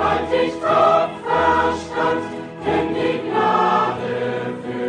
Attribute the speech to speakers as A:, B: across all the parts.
A: Halt dich Kopf, Verstand, denn die Gnade führt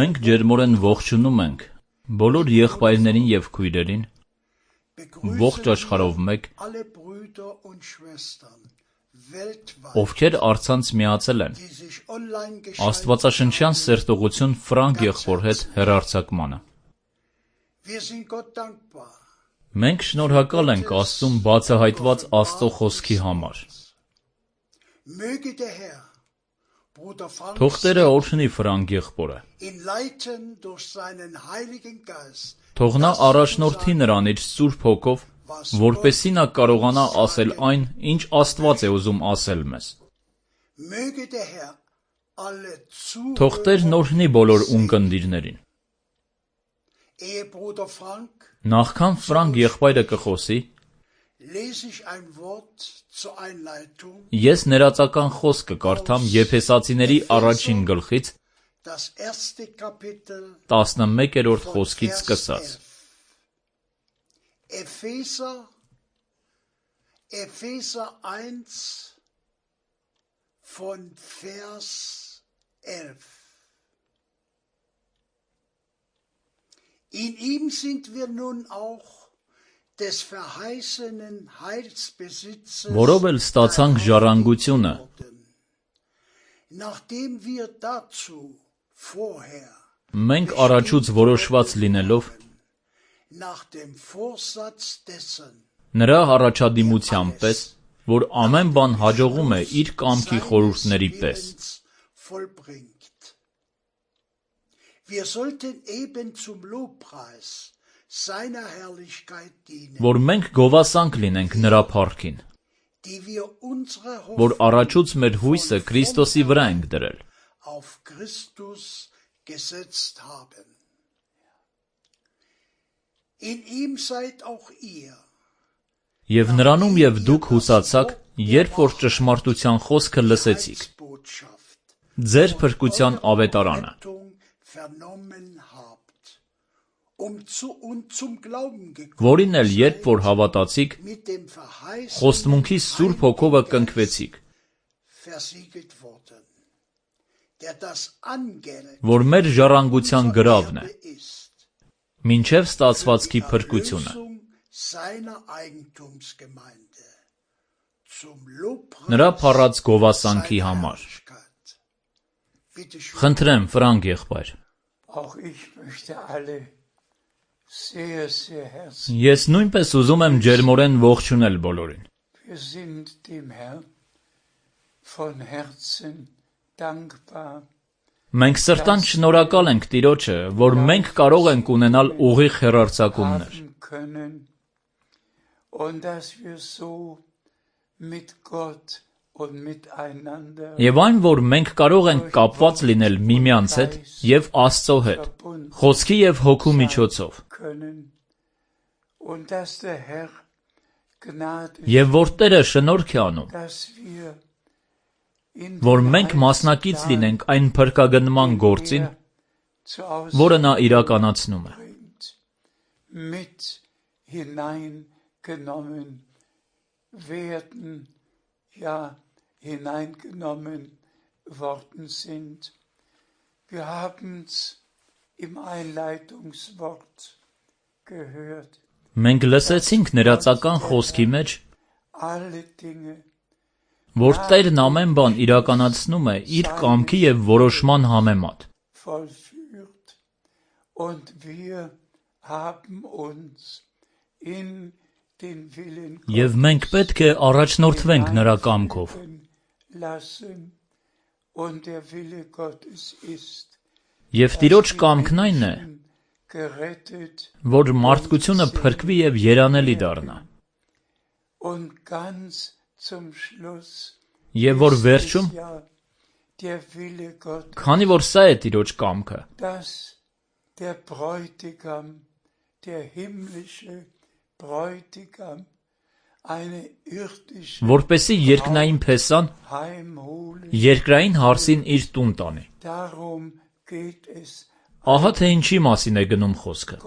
A: Մենք ջերմորեն ողջունում ենք բոլոր եղբայրներին և քույրերին, ողջ աշխարհով մեկ, ովքեր առցանց միացել են աստվածաշնչյան սերտողություն Ֆրանկ եղբոր հետ հեռարձակմանը։ Մենք շնորհակալ ենք Աստծուն բացահայտված Աստծո խոսքի համար։ Թող Տերը օրհնի Ֆրանկ եղբորը։ Թող նա առաջնորդի նրան իր Սուրբ Հոգով, որպեսզի նա կարողանա ասել այն, ինչ Աստված է ուզում ասել մեզ։ Թող Տերն օրհնի բոլոր ունկնդիրներին։ Նախքան Ֆրանկ եղբայրը կխոսի, ես ներածական խոսք կկարդամ Եփեսացիների առաջին գլխից 11-րդ խոսքից սկսած։
B: Epheser 1 von Vers 11. In ihm sind wir nun auch des verheißenen Heilsbesitzes
A: Որով էլ ստացանք ժառանգությունը,
B: nachdem wir dazu vorher
A: մենք առաջուց որոշված լինելով
B: nach dem Vorsatz dessen
A: նրա առաջադիմության պես, որ ամեն բան հաջողում է իր կամքի խորհուրդների պես։
B: Wir sollten eben zum Lobpreis seiner Herrlichkeit dienen,
A: Որ մենք գովասանք լինենք նրա փառքին,
B: die wir unsere
A: որ առաջուց մեր հույսը Քրիստոսի վրա ենք դրել։
B: auf Christus gesetzt haben. In ihm seid auch ihr,
A: Եվ նրանում և դուք հուսացաք, երբ որ ճշմարտության խոսքը լսեցիք, ձեր փրկության ավետարանը, որին էլ երբ որ հավատացիք, խոստմունքի Սուրբ Հոգովը կնքվեցիք, որ մեր ժառանգության գրավն է, մինչև ստացվածքի փրկությունը, նրա փառած գովասանքի համար։ Խնդրեմ, Ֆրանկ եղբայր։ Ես նույնպես ուզում եմ ջերմորեն ողջունել բոլորին։ Մենք սրտանց շնորհակալ ենք Տիրոջը, որ մենք կարող ենք ունենալ ուղիղ հեռարձակումներ։ Եվ այն, որ մենք կարող ենք կապված լինել միմյանց հետ և Աստծո հետ, Խոսքի և Հոգու միջոցով, և որ Տերը շնորհք է անում, որ մենք մասնակից լինենք այն փրկագնման գործին, որը նա իրականացնում է։
B: Hineingenommen worden sind. Wir haben es im Einleitungswort gehört.
A: Մենք լսեցինք ներածական խոսքի մեջ, որ Տերն ամեն բան իրականացնում է իր կամքի և որոշման համեմատ։
B: Und wir haben uns in
A: Եվ մենք պետք է առաջնորդվենք նրա կամքով։ Եվ Տիրոջ կամքն այն է, որ մարդկությունը փրկվի և երանելի դառնա։ Եվ որ վերջում, քանի որ սա է Տիրոջ կամքը, որպեսզի երկնային փեսան երկրային հարսին իր տուն տանի։ Ահա թե ինչի մասին է գնում խոսքը։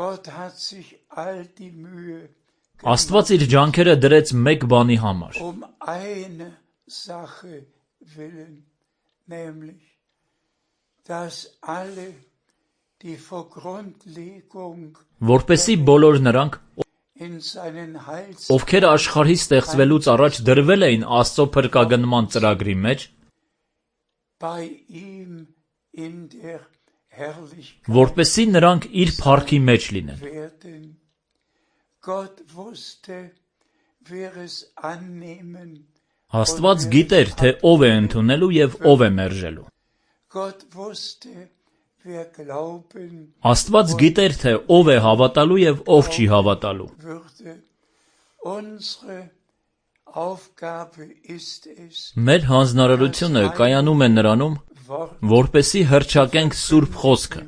A: Աստված իր ջանքերը դրեց մեկ բանի համար,
C: nämlich, dass alle, die vor Grundlegung
A: որպեսզի բոլոր նրանք,
C: in seinen Heils
A: ովքեր աշխարհի ստեղծվելուց առաջ դրվել էին Աստծո փրկագնման ծրագրի մեջ,
C: bei ihm in der Herrlichkeit
A: որպեսզի նրանք իր փառքի մեջ լինեն։
C: werden. Gott wusste, wer es annehmen.
A: Աստված գիտեր, թե ով է ընդունելու եւ ով է մերժելու։
C: Gott wusste, wer glauben
A: Աստված գիտեր, թե ով է հավատալու եւ ով չի հավատալու։
C: würde. Unsere Aufgabe ist es,
A: Մեր հանձնարարությունը կայանում է նրանում,
C: Wort
A: որպեսզի հռչակենք Սուրբ Խոսքը,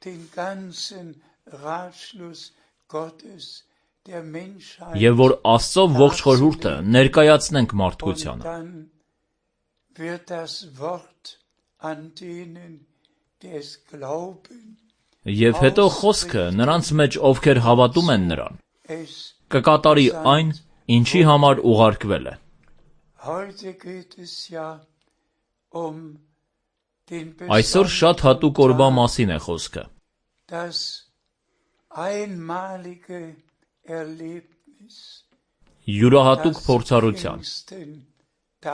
C: den ganzen Ratschluss Gottes der Menschheit
A: եւ որ Աստծո ողջ խորհուրդը ներկայացնենք
C: und
A: մարդկությանը։
C: dann wird das Wort an denen, die es glauben,
A: Եվ հետո խոսքը նրանց մեջ, ովքեր հավատում են նրան,
C: es
A: կկատարի այն, ինչի համար ուղարկվել է։
C: heute geht es ja um den
A: Այսօր շատ հատուկ օրվա մասին է խոսքը։
C: das einmalige Erlebnis
A: Յուրահատուկ փորձառության,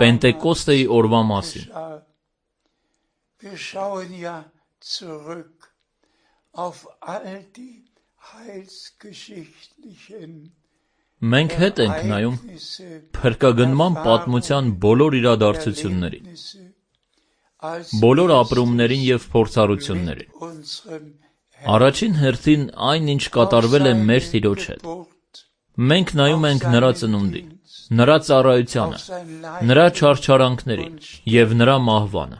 A: Պենտեկոստեի օրվա մասին։
C: Wir schauen ja zurück auf all die heilsgeschichtlichen
A: Մենք հետ ենք նայում փրկագնման պատմության բոլոր իրադարձություններին, բոլոր ապրումներին եւ փորձառություններին։ Առաջին հերթին այն, ինչ կատարվել է մեր Տիրոջ հետ։ Մենք նայում ենք նրա ծնունդին, նրա ծառայությանը, նրա չարչարանքներին եւ նրա մահվանը։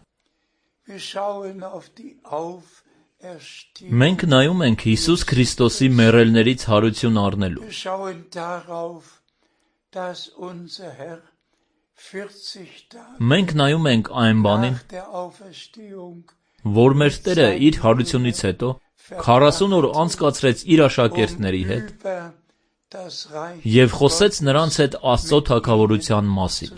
A: Մենք նայում ենք Հիսուս Քրիստոսի մեռելներից հարություն առնելու։ Մենք նայում ենք այն բանին, որ մեր Տերը իր հարությունից հետո 40 օր անցկացրեց իր աշակերտների հետ եւ խոսեց նրանց հետ Աստծո թագավորության մասին։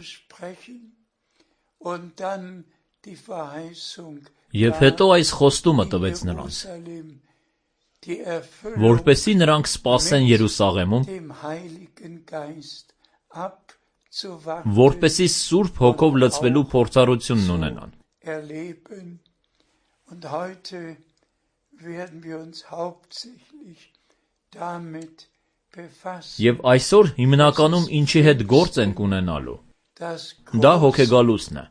A: Եվ հետո այս խոստումը տվեց նրանց, որպեսզի նրանք սպասեն Երուսաղեմում, որպեսզի Սուրբ Հոգով լցվելու փորձառությունն ունենան։ Եվ այսօր հիմնականում ինչի հետ գործ ենք ունենալու, դա հոգեգալուսն է,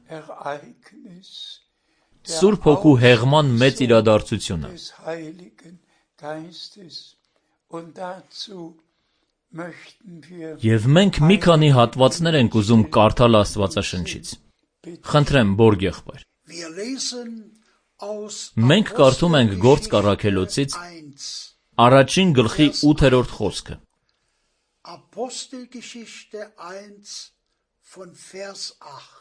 A: Սուրբ Հոգու հեղման մեծ իրադարձությունը։ Եվ մենք մի քանի հատվածներ ենք ուզում կարդալ Աստվածաշնչից։ Խնդրեմ, Բորգ եղբայր։ Մենք կարդում ենք Գործք առաքելոցից առաջին գլխի 8-րդ խոսքը։
B: Apostelgeschichte 1 von Vers 8.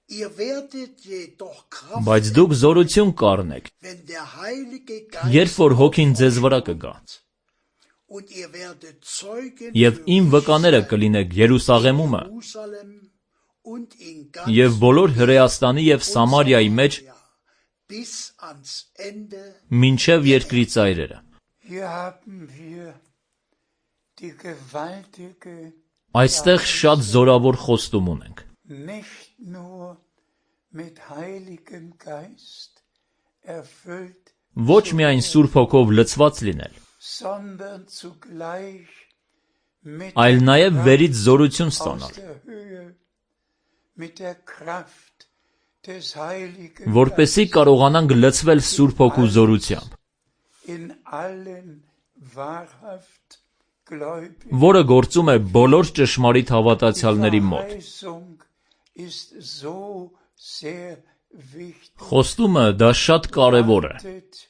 B: Ihr werdet jedoch Kraft
A: Բայց դուք զորություն կառնեք,
B: wenn der Heilige
A: երբ որ Հոգին ձեզ վրա կգա,
B: und ihr werdet Zeugen
A: եւ իմ վկաները կլինեք Երուսաղեմումը
B: Jerusalem und in
A: եւ
B: ganz
A: բոլոր Հրեաստանի եւ Սամարիայի մեջ
B: bis ans Ende.
A: մինչեւ երկրի ծայրերը։
C: Hier haben wir die gewaltige,
A: Այստեղ շատ զորավոր խոստում ունենք։
C: nicht nur mit Heiligem Geist erfüllt,
A: Ոչ միայն Սուրբ Հոգով լցված լինել,
C: sondern zugleich mit
A: այլ
C: der
A: նաեւ
C: Kraft
A: վերից զորություն
C: aus
A: ստանալ,
C: der Höhe, mit der Kraft des Heiligen
A: որպեսզի կարողանանք լցվել Սուրբ Հոգու զորությամբ,
C: in allen wahrhaft Gläubigen.
A: որը գործում է բոլոր ճշմարիտ հավատացյալների մոտ։
C: Verheißung ist so sehr wichtig.
A: Խոստումը դա շատ կարևոր է։
C: Wartet,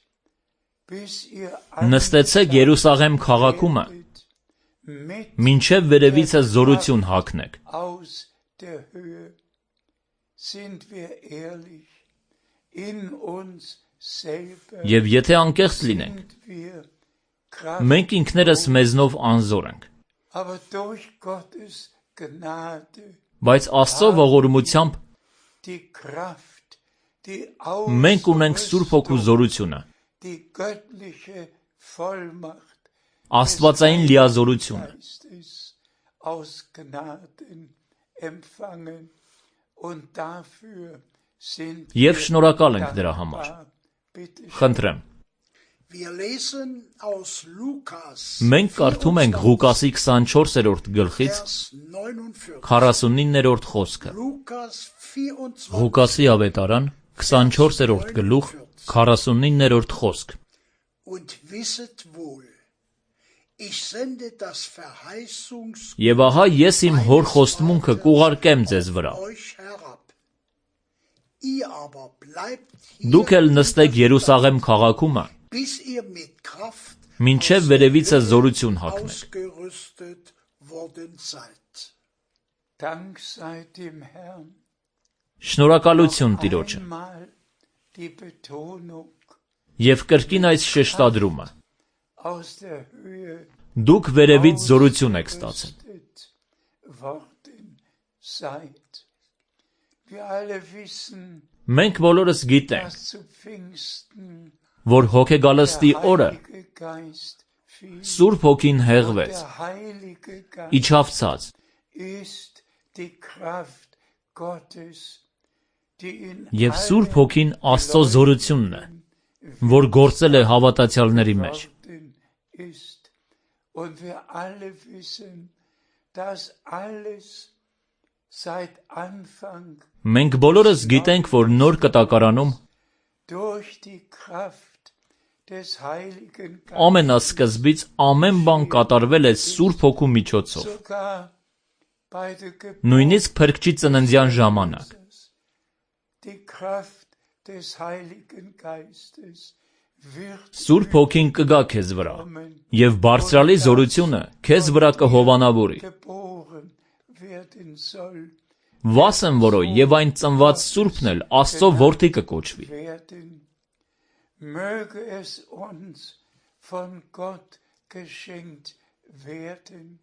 C: bis ihr
A: Նստեցեք Երուսաղեմ քաղաքումը,
C: mit
A: մինչև վերևիցը զորություն հագնեք։
C: aus der Höhe. Sind wir ehrlich in uns selber?
A: Եվ եթե անկեղծ լինենք,
C: Sind wir kraft,
A: մենք ինքներս մեզնով անզոր ենք,
C: aber durch Gottes Gnade
A: բայց Աստծո ողորմությամբ
C: die Kraft, die
A: Մենք ունենք Սուրբ Հոգու զորությունը,
C: die göttliche Vollmacht
A: Աստվածային լիազորությունը,
C: Geistes aus Gnaden empfangen und dafür sind
A: եւ շնորհակալ ենք դրա համար։
C: bitte
A: Խնդրեմ,
B: Wir lesen aus Lukas
A: մենք կարդում ենք Ղուկասի 24-րդ գլխից
B: Vers 49.
A: 49-րդ խոսքը։
B: Lukas 24.
A: Ղուկասի ավետարան 24-րդ գլուխ 49-րդ խոսք։
B: Und wisset wohl, ich sende das Verheißungs
A: Եվ ահա ես իմ հոր խոստմունքը կուղարկեմ ձեզ վրա։
B: euch herab. Ihr aber bleibt
A: Դուք
B: hier,
A: էլ նստեք Երուսաղեմ քաղաքում,
B: bis ihr mit Kraft
A: մինչև վերևիցը զորություն հագնեք։
B: ausgerüstet worden seid.
C: Dank sei dem Herrn.
A: Շնորհակալություն Տիրոջը։
C: Einmal die Betonung
A: Եվ կրկին այս շեշտադրումը։
C: aus der Höhe
A: Դուք վերևից զորություն եք ստացել։
C: ausgerüstet worden seid. Wir alle wissen,
A: Մենք բոլորս գիտենք,
C: dass zu Pfingsten
A: որ հոգեգալստի
C: der
A: օրը
C: Heilige Geist fiel.
A: Սուրբ Հոգին հեղվեց,
C: Der Heilige Geist
A: իջավ ցած,
C: ist die Kraft Gottes, die in
A: եւ Սուրբ Հոգին Աստծո զորությունն է, որ գործել է հավատացյալների մեջ։
C: worden ist. Und wir alle wissen, dass alles seit Anfang
A: Մենք բոլորս գիտենք, որ նոր կտակարանում
C: durch die Kraft des Heiligen Geistes,
A: ամենասկզբից ամեն բան կատարվել է Սուրբ Հոգու միջոցով,
C: sogar bei der Geburt,
A: նույնիսկ Փրկչի ծննդյան ժամանակ։
C: die Kraft des Heiligen Geistes wird
A: Սուրբ Հոգին կգա քեզ վրա,
C: kommen,
A: եւ բարձրալի զորությունը քեզ վրա կհովանավորի։
C: geboren werden soll,
A: Վասն որո եւ այն ծնված Սուրբն էլ Աստծո որդի կկոչվի։
C: werden. Möge es uns von Gott geschenkt werden,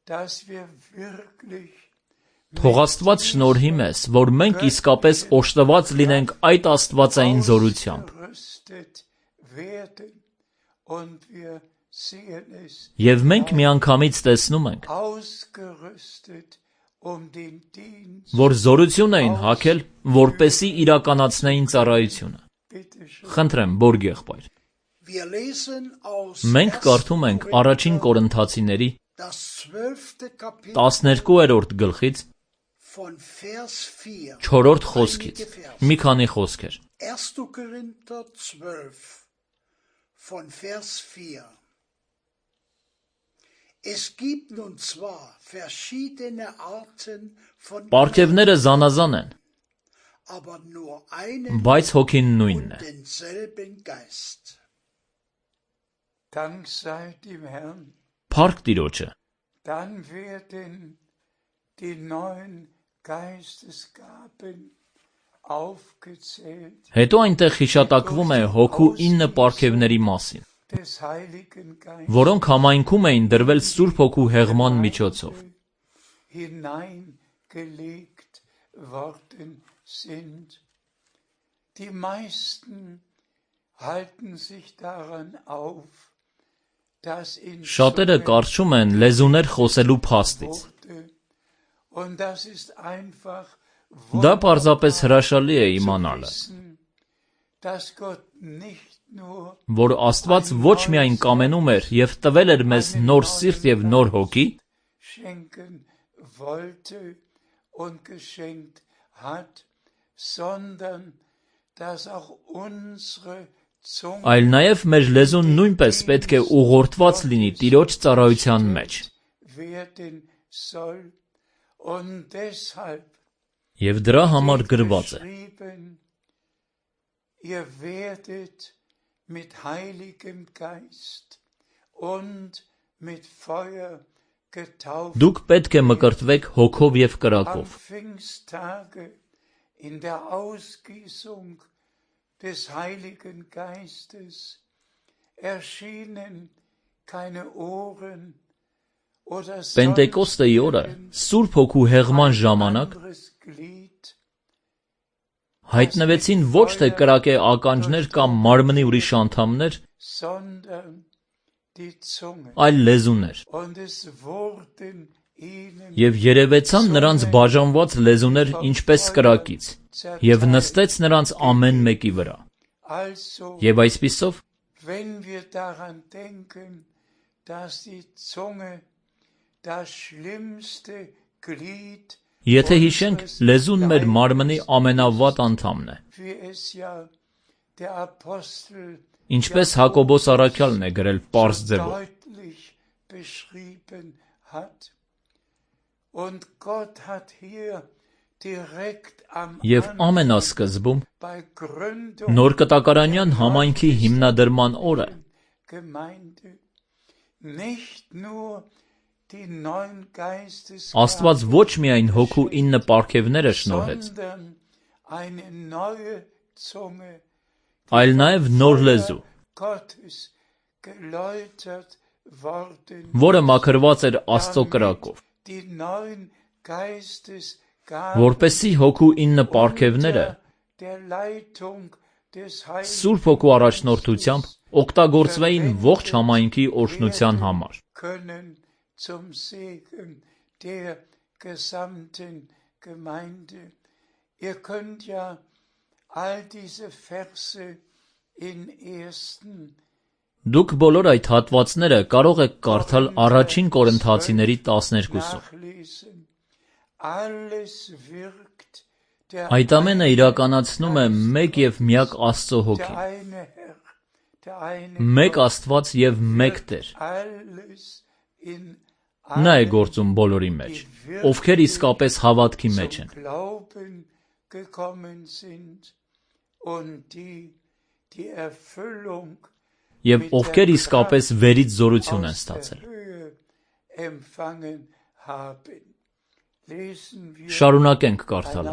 C: dass wir wirklich
A: Թող Աստված շնորհի մեզ, որ մենք իսկապես օժտված լինենք այդ աստվածային զորությամբ,
C: ausgerüstet werden und wir sehen es
A: եւ մենք միանգամից տեսնում ենք,
C: ausgerüstet den Dienst.
A: որ զորություն էին հագել, որպեսի իրականացնեին ծառայությունը։
C: Bitte schön.
A: Խնդրեմ, Բորգ եղբայր։
B: Wir lesen aus
A: Մենք
B: 1.
A: կարդում ենք առաջին Կորինթացիների
B: das 12. Kapitel
A: 12-րդ գլխից
B: von Vers 4.
A: 4-րդ խոսքից։
B: Einige Verse.
A: Մի քանի խոսքեր։
B: 1. Korinther 12 von Vers 4. Es gibt nun zwar verschiedene Arten von
A: Պարգևները զանազան են,
B: aber nur einen
A: բայց հոգին նույնն է։
B: und denselben Geist.
C: Dank sei dem Herrn.
A: Փառք Տիրոջը։
C: Dann werden die neuen Geistesgaben aufgezählt
A: Հետո այնտեղ հիշատակվում է հոգու 9 պարգևների մասին,
C: des Heiligen Geistes
A: որոնք համայնքում էին դրվել Սուրբ Հոգու հեղման միջոցով։
C: hineingelegt worden sind. Die meisten halten sich daran auf, dass in
A: Շատերը կարճում են լեզուներ խոսելու փաստից։
C: wurde. Und das ist einfach
A: Դա պարզապես հրաշալի է իմանալը,
C: wissen, dass Gott nicht nur
A: որ Աստված ոչ միայն կամենում էր եւ տվել էր մեզ նոր սիրտ եւ նոր հոգի,
C: schenken wollte und geschenkt hat, sondern dass auch unsere Zunge
A: այլ նաեւ մեր լեզուն նույնպես պետք է ուղղորդված լինի Տիրոջ ծառայության մեջ։
C: werden soll. Und deshalb
A: Եվ դրա համար գրված է.
C: geschrieben, ihr werdet mit Heiligem Geist und mit Feuer getauft.
A: Դուք պետք է մկրտվեք հոգով եւ
C: Am
A: կրակով։
C: Pfingsttage in der Ausgießung des Heiligen Geistes erschienen keine Ohren oder
A: Պենտեկոստեի օրը Սուրբ Հոգու հեղման ժամանակ
C: anderes Glied
A: հայտնվեցին ոչ թե կրակե ականջներ կամ մարմնի ուրիշ անդամներ, այլ լեզուներ, և երևեցան նրանց բաժանված լեզուներ ինչպես կրակից, և նստեց նրանց ամեն մեկի վրա, և այսպիսով, եթե հիշենք, լեզուն մեր մարմնի ամենավատ անդամն է, ինչպես Հակոբոս առաքյալն է գրել պարզ ձևով. Եվ ամենասկզբում, նոր կտակարանյան համայնքի հիմնադրման օրը, Աստված ոչ միայն հոգու 9 պարգևները շնորհեց, այլ նաև նոր լեզու, որը մաքրված էր Աստծո կրակով, որպեսզի հոգու 9 պարգևները Սուրբ Հոգու առաջնորդությամբ օգտագործվեին ողջ համայնքի օրհնության համար. Դուք բոլոր այդ հատվածները կարող եք կարդալ առաջին Կորինթացիների 12-ում. Այդ ամենը իրականացնում է մեկ և միակ Աստծո Հոգին, մեկ Աստված և մեկ Տեր, Նա է գործում բոլորի մեջ, ովքեր իսկապես հավատքի մեջ են, և ովքեր իսկապես վերից զորություն են ստացել. Շարունակենք կարդալը.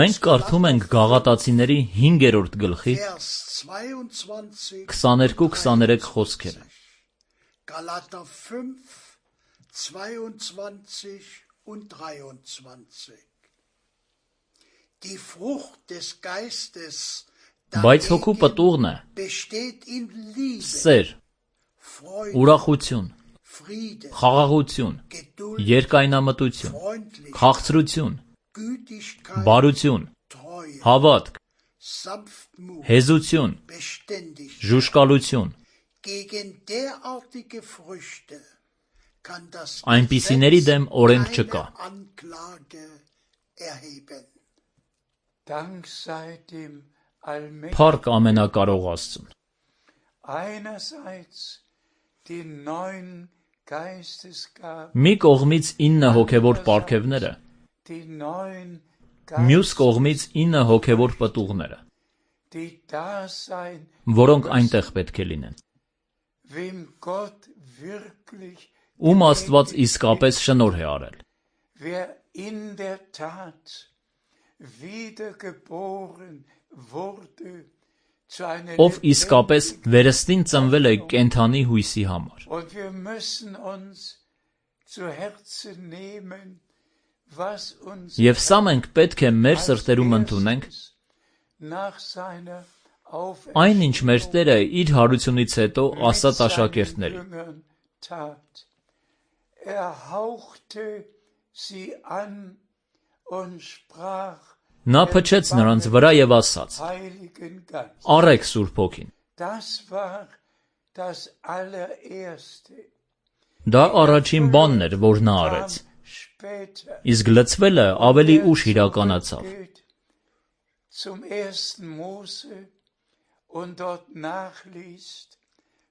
A: Մենք կարդում ենք Գաղատացիների 5-րդ գլխի 22-23 խոսքերը.
B: Galater 5, 22 und 23. Die Frucht des Geistes
A: Բայց հոգու պտուղն է
B: besteht in Liebe,
A: սեր,
B: Freude,
A: ուրախություն,
B: Friede,
A: խաղաղություն,
B: Geduld,
A: երկայնամտություն,
B: Freundlichkeit,
A: քաղցրություն,
B: Gütigkeit,
A: բարություն,
B: Treue,
A: հավատք,
B: Sanftmut,
A: հեզություն,
B: Beständigkeit.
A: ժուշկալություն,
B: Gegen derartige Früchte kann das
A: այնպիսիների
B: Gesetz
A: դեմ օրենք
B: keine
A: չկա.
B: Anklage erheben.
C: Dank sei dem Allmächtigen.
A: Փառք ամենակարող Աստծուն.
C: Einerseits die neuen Geistesgaben,
A: Մի կողմից 9 հոգևոր պարգևները,
C: die neuen
A: մյուս կողմից 9 հոգևոր պտուղները,
C: die da sein,
A: որոնք այնտեղ պետք է լինեն,
C: wem Gott wirklich,
A: ում Աստված իսկապես շնորհ է արել,
C: wer in der Tat wiedergeboren wurde zu einer
A: ով իսկապես վերստին ծնվել է կենդանի հույսի համար.
C: Und wir müssen uns zu Herzen nehmen, was uns
A: Եվ սա մենք պետք է մեր սրտերում ընդունենք,
C: nach seiner
A: այն ինչ մեր Տերը իր հարությունից հետո ասաց աշակերտներին.
C: Jüngern tat. Hauchte sie an und sprach
A: Նա փչեց նրանց վրա եւ ասաց.
C: Heiligen Geist.
A: Առեք Սուրբ Հոգին.
C: Das war das allererste.
A: Դա առաջին բանն էր, որ նա արեց.
C: Später
A: Իսկ լցվելը ավելի ուշ իրականացավ.
C: geht zum 1. Mose und dort nachliest,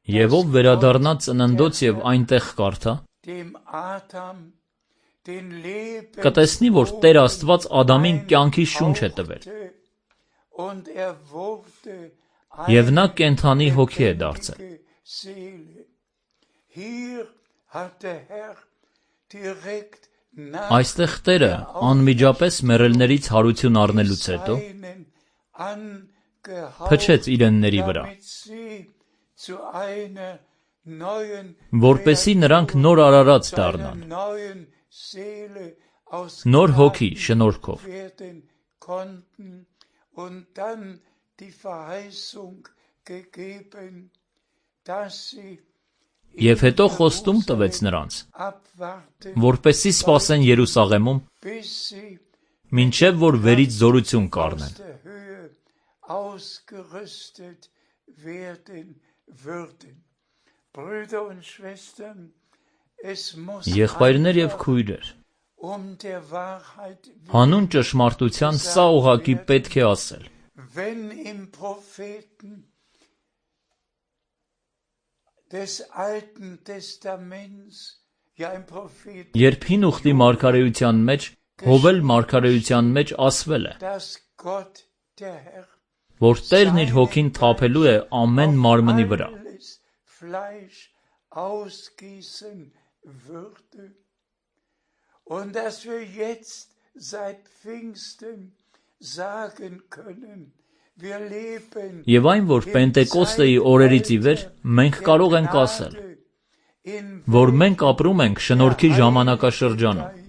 A: Եվ ով վերադառնա ծննդոց եւ այնտեղ կարդա,
C: dem Adam den Leben
A: կտեսնի, որ Տեր Աստված Ադամին կյանքի շունչ է տվել,
C: und wurde
A: եւ նա կենդանի հոգի է դարձել.
C: Seele. Hier hat der Herr direkt nach
A: Այստեղ Տերը անմիջապես մեռելներից հարություն առնելուց հետո
C: seinen angehaucht,
A: փչեց իրենների վրա,
C: damit sie zu einer neuen
A: որպեսզի նրանք նոր արարած դառնան,
C: neuen Seele
A: նոր հոգի շնորհքով։
C: werden konnten und dann die Verheißung gegeben, dass sie
A: Եվ հետո խոստում տվեց նրանց,
C: abwarten,
A: որպեսզի սպասեն Երուսաղեմում,
C: bis sie
A: մինչև որ վերից զորություն կառնեն։
C: aus der Höhe ausgerüstet werden würden. Brüder und Schwestern, es muss
A: Եղբայրներ եւ քույրեր,
C: der Wahrheit
A: հանուն ճշմարտության սա ուղղակի պետք է ասել։
C: wenn im Propheten des Alten Testaments, ja im Propheten,
A: Երբ հին ուխտի մարգարեության մեջ, Հովել մարգարեության մեջ ասվել է,
C: dass Gott der Herr
A: որ Տերն իր հոգին թափելու է ամեն մարմնի վրա։
C: alles Fleisch ausgießen würde. Und dass wir jetzt seit Pfingsten sagen können, wir leben
A: Եվ այն, որ Պենտեկոստեի օրերից ի վեր մենք կարող ենք ասել,
C: in
A: որ մենք ապրում ենք շնորհքի ժամանակաշրջանում,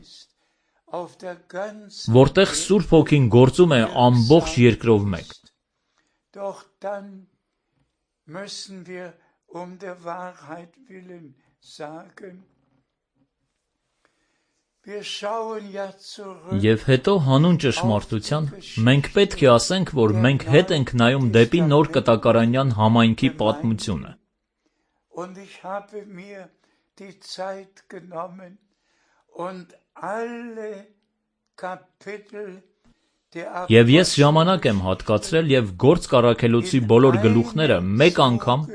C: auf der ganzen
A: որտեղ Սուրբ Հոգին գործում է ամբողջ երկրով մեկ։
C: Doch dann müssen wir der Wahrheit willen sagen, wir schauen ja zurück
A: Եվ հետո հանուն ճշմարտության մենք պետք է ասենք, որ մենք հետ ենք նայում դեպի նոր կտակարանյան համայնքի պատմությունը։
C: und ich habe mir die Zeit genommen und alle Kapitel der
A: Եվ ես ժամանակ եմ հատկացրել եւ Գործք առաքելոցի բոլոր գլուխները մեկ անգամ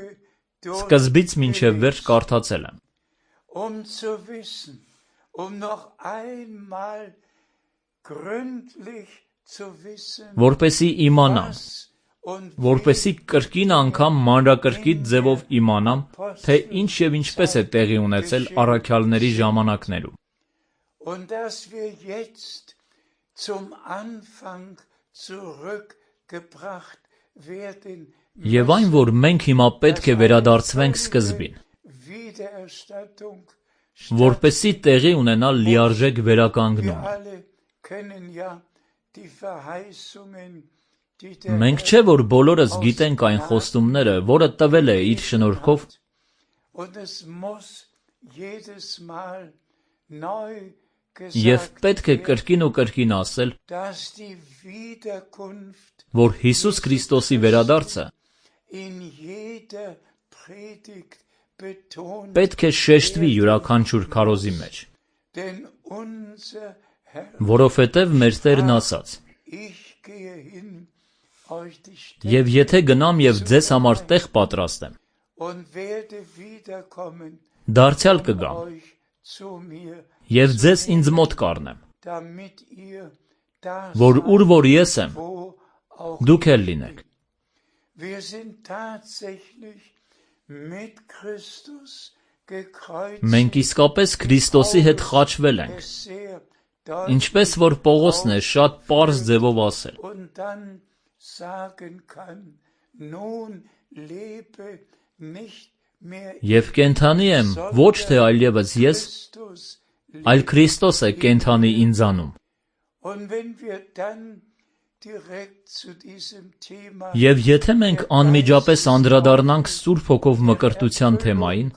A: սկզբից մինչև վերջ կարդացել եմ։
C: zu wissen, noch einmal gründlich zu wissen,
A: Որպեսի իմանամ,
C: was und
A: որպեսի կրկին անգամ մանրակրկիտ ձևով իմանամ, թե ինչ եւ ինչպես է տեղի ունեցել առաքյալների ժամանակներում։
C: und dass wir jetzt zum Anfang zurückgebracht werden,
A: Եվ այն, որ մենք հիմա պետք է վերադարձվենք սկզբին,
C: Wiedererstattung.
A: որպեսի տեղի ունենա լիարժեք վերականգնում։
C: Wir alle kennen ja die Verheißungen, die der
A: Մենք չէ որ բոլորս գիտենք այն խոստումները, որը տվել է իր շնորհքով,
C: und es muss jedes Mal neu
A: եւ
C: gesagt
A: պետք է կրկին ու կրկին ասել,
C: dass die Wiederkunft
A: որ Հիսուս Քրիստոսի վերադարձը
C: in jeder Predigt betont,
A: պետք է շեշտվի յուրաքանչյուր քարոզի մեջ,
C: denn unser Herr,
A: որովհետև մեր Տերն ասաց.
C: ich gehe hin, euch die
A: Եվ եթե գնամ եւ ձեզ համար տեղ պատրաստեմ,
C: und werde wiederkommen,
A: դարձյալ կգամ
C: euch zu mir,
A: եւ ձեզ ինձ մոտ կառնեմ,
C: damit ihr da
A: որ ուր որ ես եմ,
C: wo auch
A: դուք էլ լինեք։
C: wir sind tatsächlich mit Christus gekreuzigt.
A: Մենք իսկապես Քրիստոսի հետ խաչվել ենք,
C: Es sehr deutlich
A: ինչպես որ Պողոսն է շատ պարզ ձևով ասել,
C: und dann sagen kann, nun lebe nicht mehr
A: եւ կենթանի եմ ոչ թե այլևս ես,
C: Christus.
A: այլ Քրիստոս է կենթանի ինձանում։
C: Und wenn wir dann direkt zu diesem Thema
A: Եվ եթե մենք անմիջապես անդրադառնանք Սուրբ Հոգով մկրտության թեմային,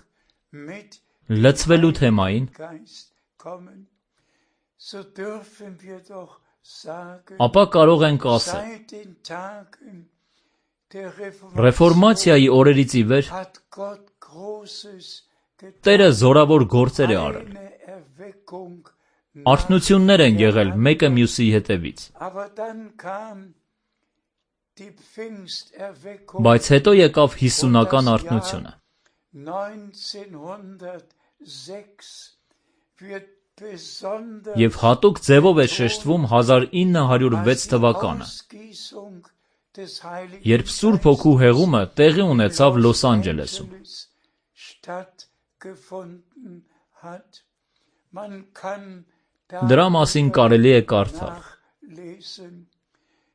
C: mit
A: լցվելու թեմային,
C: Geist kommen, so dürfen wir doch sagen,
A: ապա կարող ենք ասել,
C: seit den Tagen der
A: ռեֆորմացիայի օրերից ի վեր
C: hat Gott Großes
A: Տերը զորավոր գործեր է արել,
C: eine Erweckung,
A: արթնություններ են եղել մեկը մյուսի հետևից,
C: aber dann kam die Pfingsterweckung
A: բայց հետո եկավ հիսունական արթնությունը,
C: 1906 wird besonders
A: եւ հատուկ ձևով է շեշտվում 1906 թվականը,
C: Ausgießung des Heiligen
A: երբ Սուրբ Հոգու հեղումը տեղի ունեցավ Լոս Անջելեսում։
C: Angeles stattgefunden hat. Man kann
A: Դրա մասին կարելի է կարդալ։
C: nachlesen.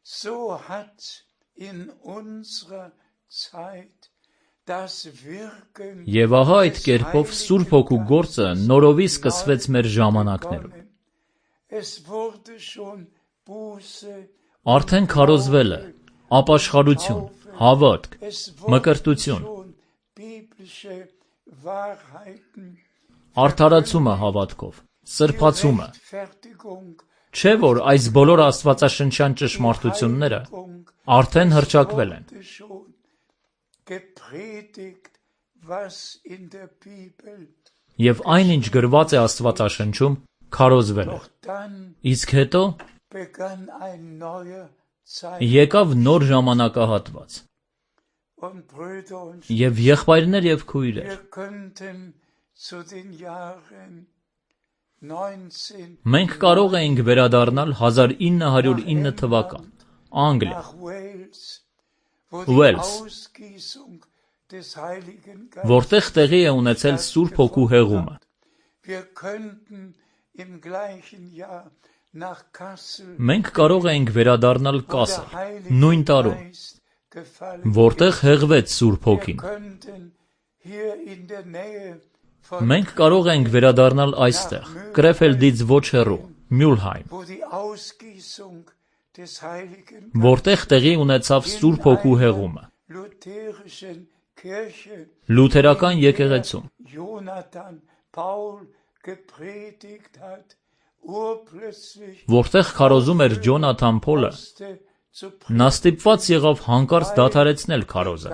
C: So hat in unserer Zeit das Wirken
A: Եվ ահա այդ կերպով Սուրբ Հոգու գործը նորովի սկսվեց մեր ժամանակներում։ Արդեն քարոզվել է ապաշխարություն, հավատք, մկրտություն, արդարացումը հավատքով, սրբացումը։ Չէ՞ որ այս բոլոր աստվածաշնչյան ճշմարտությունները արդեն հռչակվել են։ Եվ այնինչ գրված է Աստվածաշնչում, քարոզվել է։ Իսկ հետո եկավ նոր ժամանակահատված։ Եվ եղբայրներ եւ քույրեր, մենք կարող էինք վերադառնալ 1909 թվական, Անգլիա, Ուելս, որտեղ տեղի է ունեցել Սուրբ Հոգու հեղումը։ Մենք կարող էինք վերադառնալ Կասել, նույն տարում, որտեղ հեղվեց Սուրբ Հոգին։ Մենք կարող ենք վերադառնալ այստեղ, Կրեֆելդից ոչ հեռու, Մյուլհայմ, որտեղ տեղի ունեցավ Սուրբ Հոգու հեղումը։ Լութերական եկեղեցում, որտեղ քարոզում էր Ջոնաթան Փոլը, նա ստիպված եղավ հանկարծ դադարեցնել քարոզը,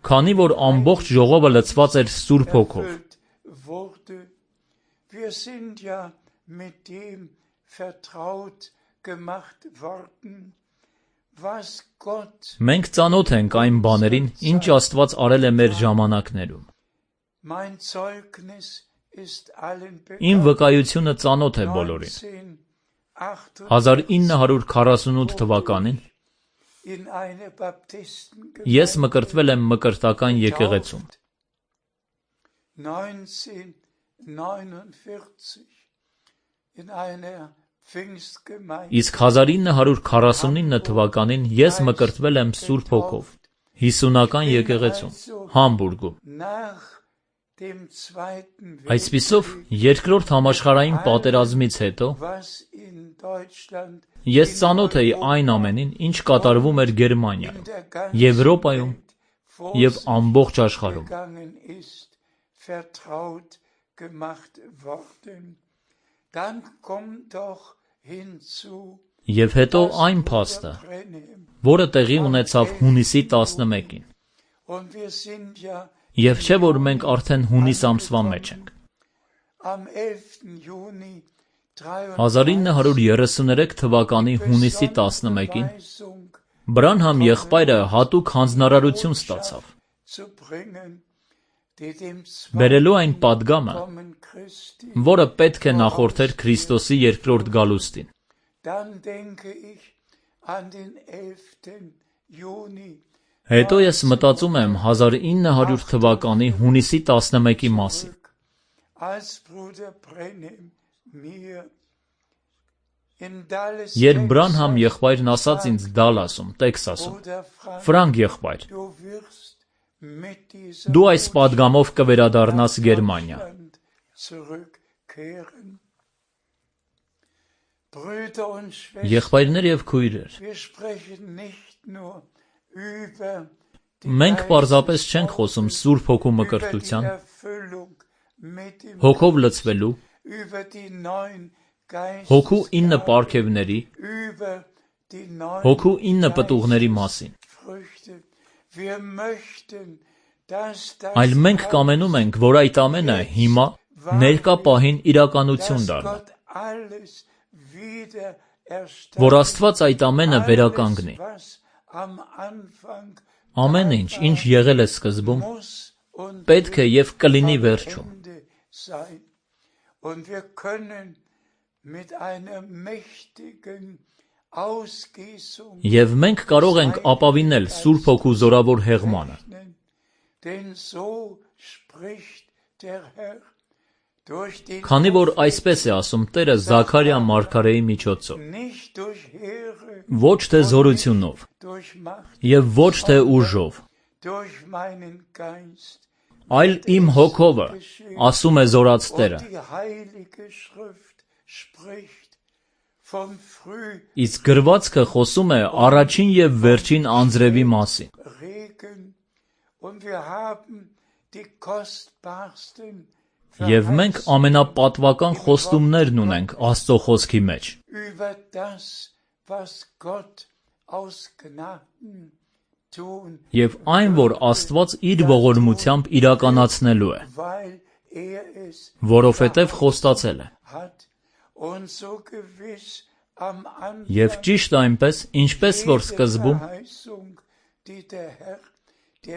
A: քանի որ ամբողջ ժողովը լցված էր Սուրբ Հոգով։ Մենք ծանոթ ենք այն բաներին, ինչ Աստված արել է մեր ժամանակներում։ Իմ վկայությունը ծանոթ է բոլորին։ 1948 թվականին ես մկրտվել եմ մկրտական եկեղեցում։ Իսկ 1949 թվականին ես մկրտվել եմ Սուրբ Հոգով, 50-ական եկեղեցում, Համբուրգում։ Այսպիսով, երկրորդ համաշխարհային պատերազմից հետո ես ծանոթ էի այն ամենին, ինչ կատարվում էր Գերմանիայում, Եվրոպայում և ամբողջ աշխարհում։ Եվ հետո այն փաստը, որը տեղի ունեցավ հունիսի 11-ին։ Եվ չէ՞ որ մենք արդեն հունիս ամսվա մեջ ենք։ 1933 թվականի հունիսի 11-ին Բրանհամ եղբայրը հատուկ հանձնարարություն ստացավ, բերելու այն պատգամը, որը պետք է նախորդեր Քրիստոսի երկրորդ գալուստին։ Հետո ես մտածում եմ 1900 թվականի հունիսի 11-ի մասին։ Երբ Բրանհամ եղբայրն ասաց ինձ Դալասում, Տեքսասում, Ֆրանկ եղբայր, դու այս պատգամով կվերադառնաս Գերմանիա։ Եղբայրներ և քույրեր, մենք պարզապես չենք խոսում Սուրբ Հոգու մկրտության, Հոգով լցվելու, Հոգու 9 պարգևների, Հոգու 9 պտուղների մասին, այլ մենք կամենում ենք, որ այդ ամենը հիմա ներկա պահին իրականություն դառնա, որ Աստված այդ ամենը վերականգնի։ Ամեն ինչ, ինչ եղել է սկզբում, պետք է և կլինի վերջում։ Եվ մենք կարող ենք ապավինել Սուրբ Հոգու զորավոր հեղմանը։ Քանի որ այսպես է ասում Տերը Զաքարիա մարգարեի միջոցով. ոչ թե զորությունով և ոչ թե ուժով, այլ իմ հոգովը, ասում է զորաց Տերը։ Իսկ գրվածքը խոսում է առաջին և վերջին անձրևի մասին։ Եվ մենք ամենապատվական խոստումներն ունենք Աստծո խոսքի մեջ։ Եվ այն, որ Աստված իր ողորմությամբ իրականացնելու է, որովհետև խոստացել է։ Եվ ճիշտ այնպես, ինչպես որ սկզբում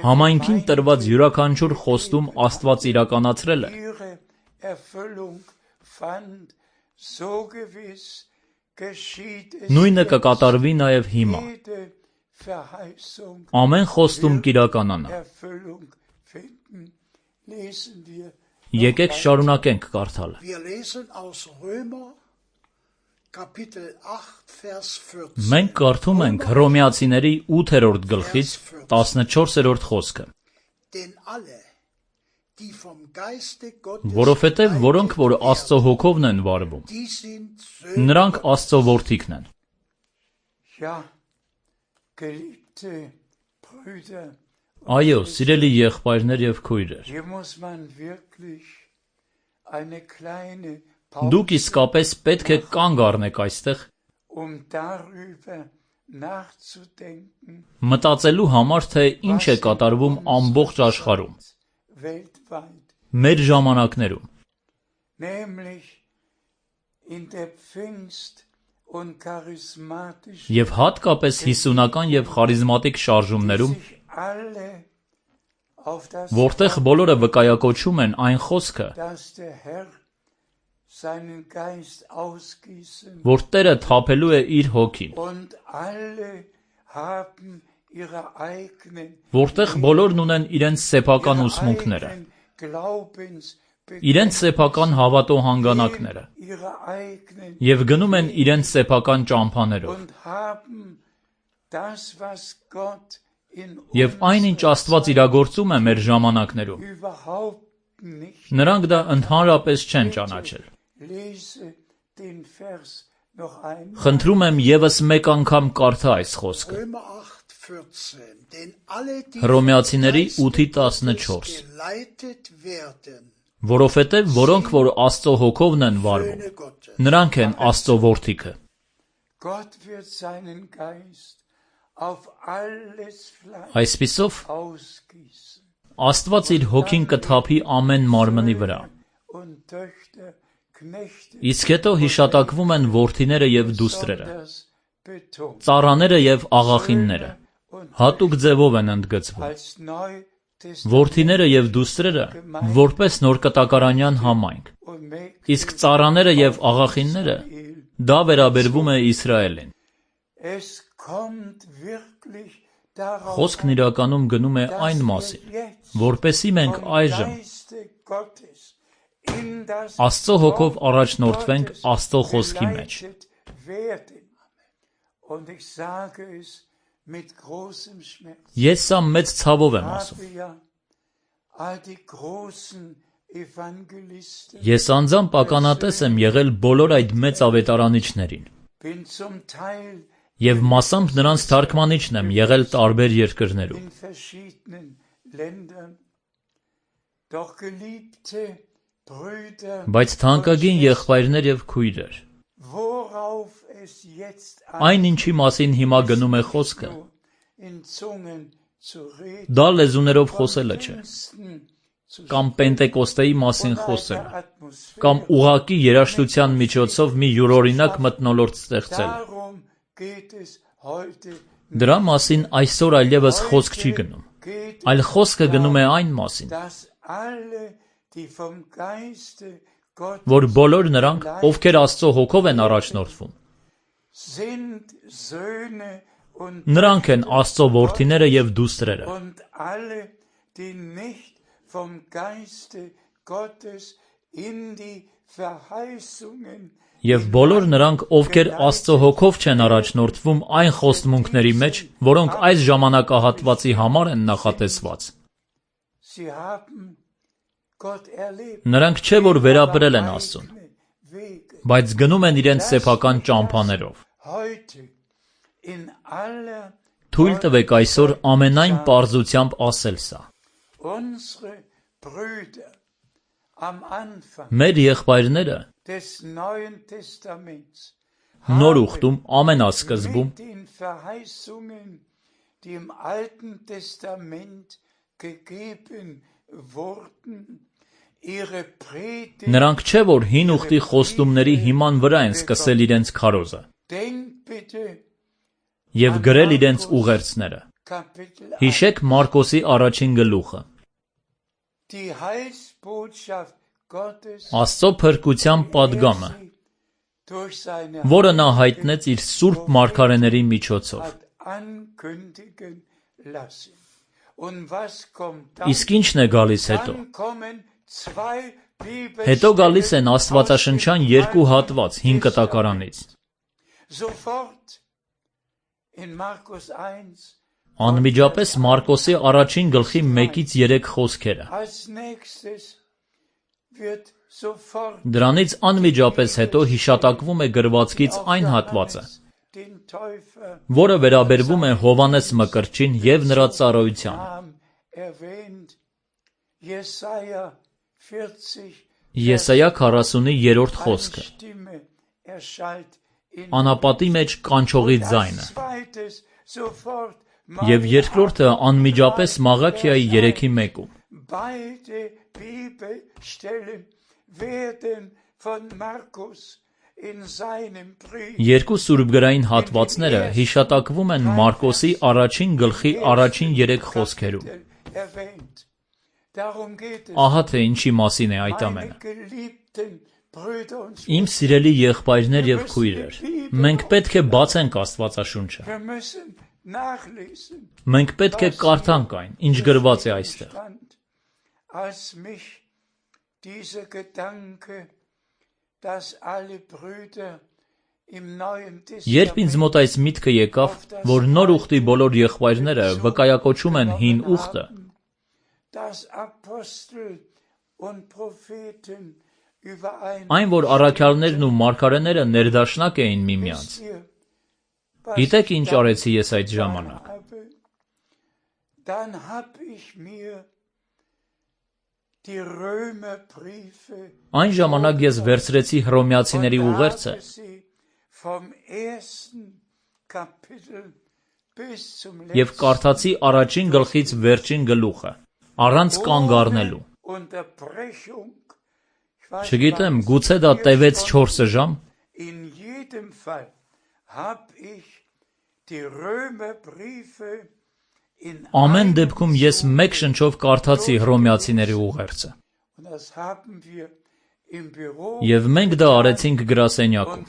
A: համայնքին տրված յուրաքանչյուր խոստում Աստված իրականացրել է, նույնը կկատարվի նաև հիմա։ Ամեն խոստում կիրականանա։ Եկեք շարունակենք կարդալը։ Մենք կարդում ենք Հռոմեացիների 8-րդ գլխից 14-րդ խոսքը։ Որովհետև որոնք, որ Աստծո հոգովն են վարվում, նրանք Աստծո որդիքն են։ Այո, սիրելի եղբայրներ և քույրեր, դուք իսկապես պետք է կանգ առնեք այստեղ, մտածելու համար, թե ինչ է կատարվում ամբողջ աշխարհում, մեր ժամանակներում, և հատկապես հիսունական և խարիզմատիկ շարժումներում, որտեղ բոլորը վկայակոչում են այն խոսքը, որ Տերը թափելու է իր հոգին, որտեղ բոլորն ունեն իրենց սեփական ուսմունքները, իրենց սեփական հավատո հանգանակները և գնում են իրենց սեփական ճամփաներով։ Եվ այն, ինչ Աստված իրագործում է մեր ժամանակներում, նրանք դա ընդհանրապես չեն ճանաչել։ Խնդրում եմ ևս մեկ անգամ կարդա այս խոսքը։ Հռոմեացիների 8:14 Որովհետև որոնք, որ Աստծո հոգովն են վարվում, նրանք են Աստծո որդիքը։ Այսպիսով, Աստված իր հոգին կթափի ամեն մարմնի վրա։ Իսկ հետո հիշատակվում են որդիները և դուստրերը, ծառաները և աղախինները, հատուկ ձևով են ընդգծվում։ Որդիները և դուստրերը որպես նորկտակարանյան համայնք, իսկ ծառաները և աղախինները դա վերաբերվում է Իսրայելին։ Խոսքն իրականում գնում է այն մասին, որպեսզի մենք այժմ Աստծո հոգով առաջնորդվենք Աստծո խոսքի մեջ։ Ես սա մեծ ցավով եմ ասում։ Ես անձամբ ականատես եմ եղել բոլոր այդ մեծ ավետարանիչներին և մասամբ նրանց թարգմանիչն եմ եղել տարբեր երկրներում։ Բայց թանկագին եղբայրներ և քույրեր, այն ինչի մասին հիմա գնում է խոսքը, դա լեզուներով խոսելը չէ, կամ Պենտեկոստեի մասին խոսելը, կամ ուղղակի երաժշտության միջոցով մի յուրօրինակ մթնոլորտ ստեղծելը։ Դրա մասին այսօր այլևս խոսք չի գնում, այլ խոսքը գնում է այն մասին, որ բոլոր նրանք, ովքեր Աստծո հոգով են առաջնորդվում, նրանք են Աստծո որդիները և դուստրերը։ Եվ բոլոր նրանք, ովքեր Աստծո հոգով չեն առաջնորդվում այն խոստմունքների մեջ, որոնք այս ժամանակահատվածի համար են նախատեսված, Նրանք չէ որ վերապրել են Աստծուն, բայց գնում են իրենց սեփական ճամփաներով։ Թույլ տվեք այսօր ամենայն պարզությամբ ասել սա. մեր եղբայրները նոր ուխտում ամենասկզբում նրանք չէ որ հին ուխտի խոստումների հիման վրա են սկսել իրենց քարոզը և գրել իրենց ուղերձները։ Հիշեք Մարկոսի առաջին գլուխը։ Աստծո փրկության պատգամը, որը նա հայտնեց իր սուրբ մարգարեների միջոցով։ Իսկ ի՞նչն է գալիս հետո։ Հետո գալիս են աստվածաշնչյան երկու հատված հին կտակարանից։ Անմիջապես Մարկոսի առաջին գլխի 1-3 խոսքերը։ Դրանից անմիջապես հետո հիշատակվում է գրվածքից այն հատվածը, որը վերաբերվում է Հովհաննես Մկրտչին և նրա ծառայությանը։ Եսայա 40-ի 3-րդ խոսքը։ Անապատի մեջ կանչողի ձայնը։ Եվ երկրորդը անմիջապես Մաղաքիայի 3:1-ում։ Երկու սուրբգրային հատվածները հիշատակվում են Մարկոսի առաջին գլխի առաջին 3 խոսքերում։ Ահա թե ինչի մասին է այդ ամենը։ Իմ սիրելի եղբայրներ և քույրեր, մենք պետք է բացենք Աստվածաշունչը։ Մենք պետք է կարդանք այն, ինչ գրված է այստեղ։ Երբ ինձ մոտ այս միտքը եկավ, որ նոր ուխտի բոլոր եղբայրները վկայակոչում են հին ուխտը, այն որ առաքյալներն ու մարգարեները ներդաշնակ էին միմյանց, գիտեք ինչ արեցի ես այդ ժամանակ։ Այն ժամանակ ես վերցրեցի Հռոմեացիների ուղերձը և կարդացի առաջին գլխից վերջին գլուխը, առանց կանգ առնելու։ Չգիտեմ, գուցե դա տևեց 4 ժամ։ Ամեն դեպքում ես մեկ շնչով կարդացի Հռոմեացիների ուղերձը։ Եվ մենք դա արեցինք գրասենյակում։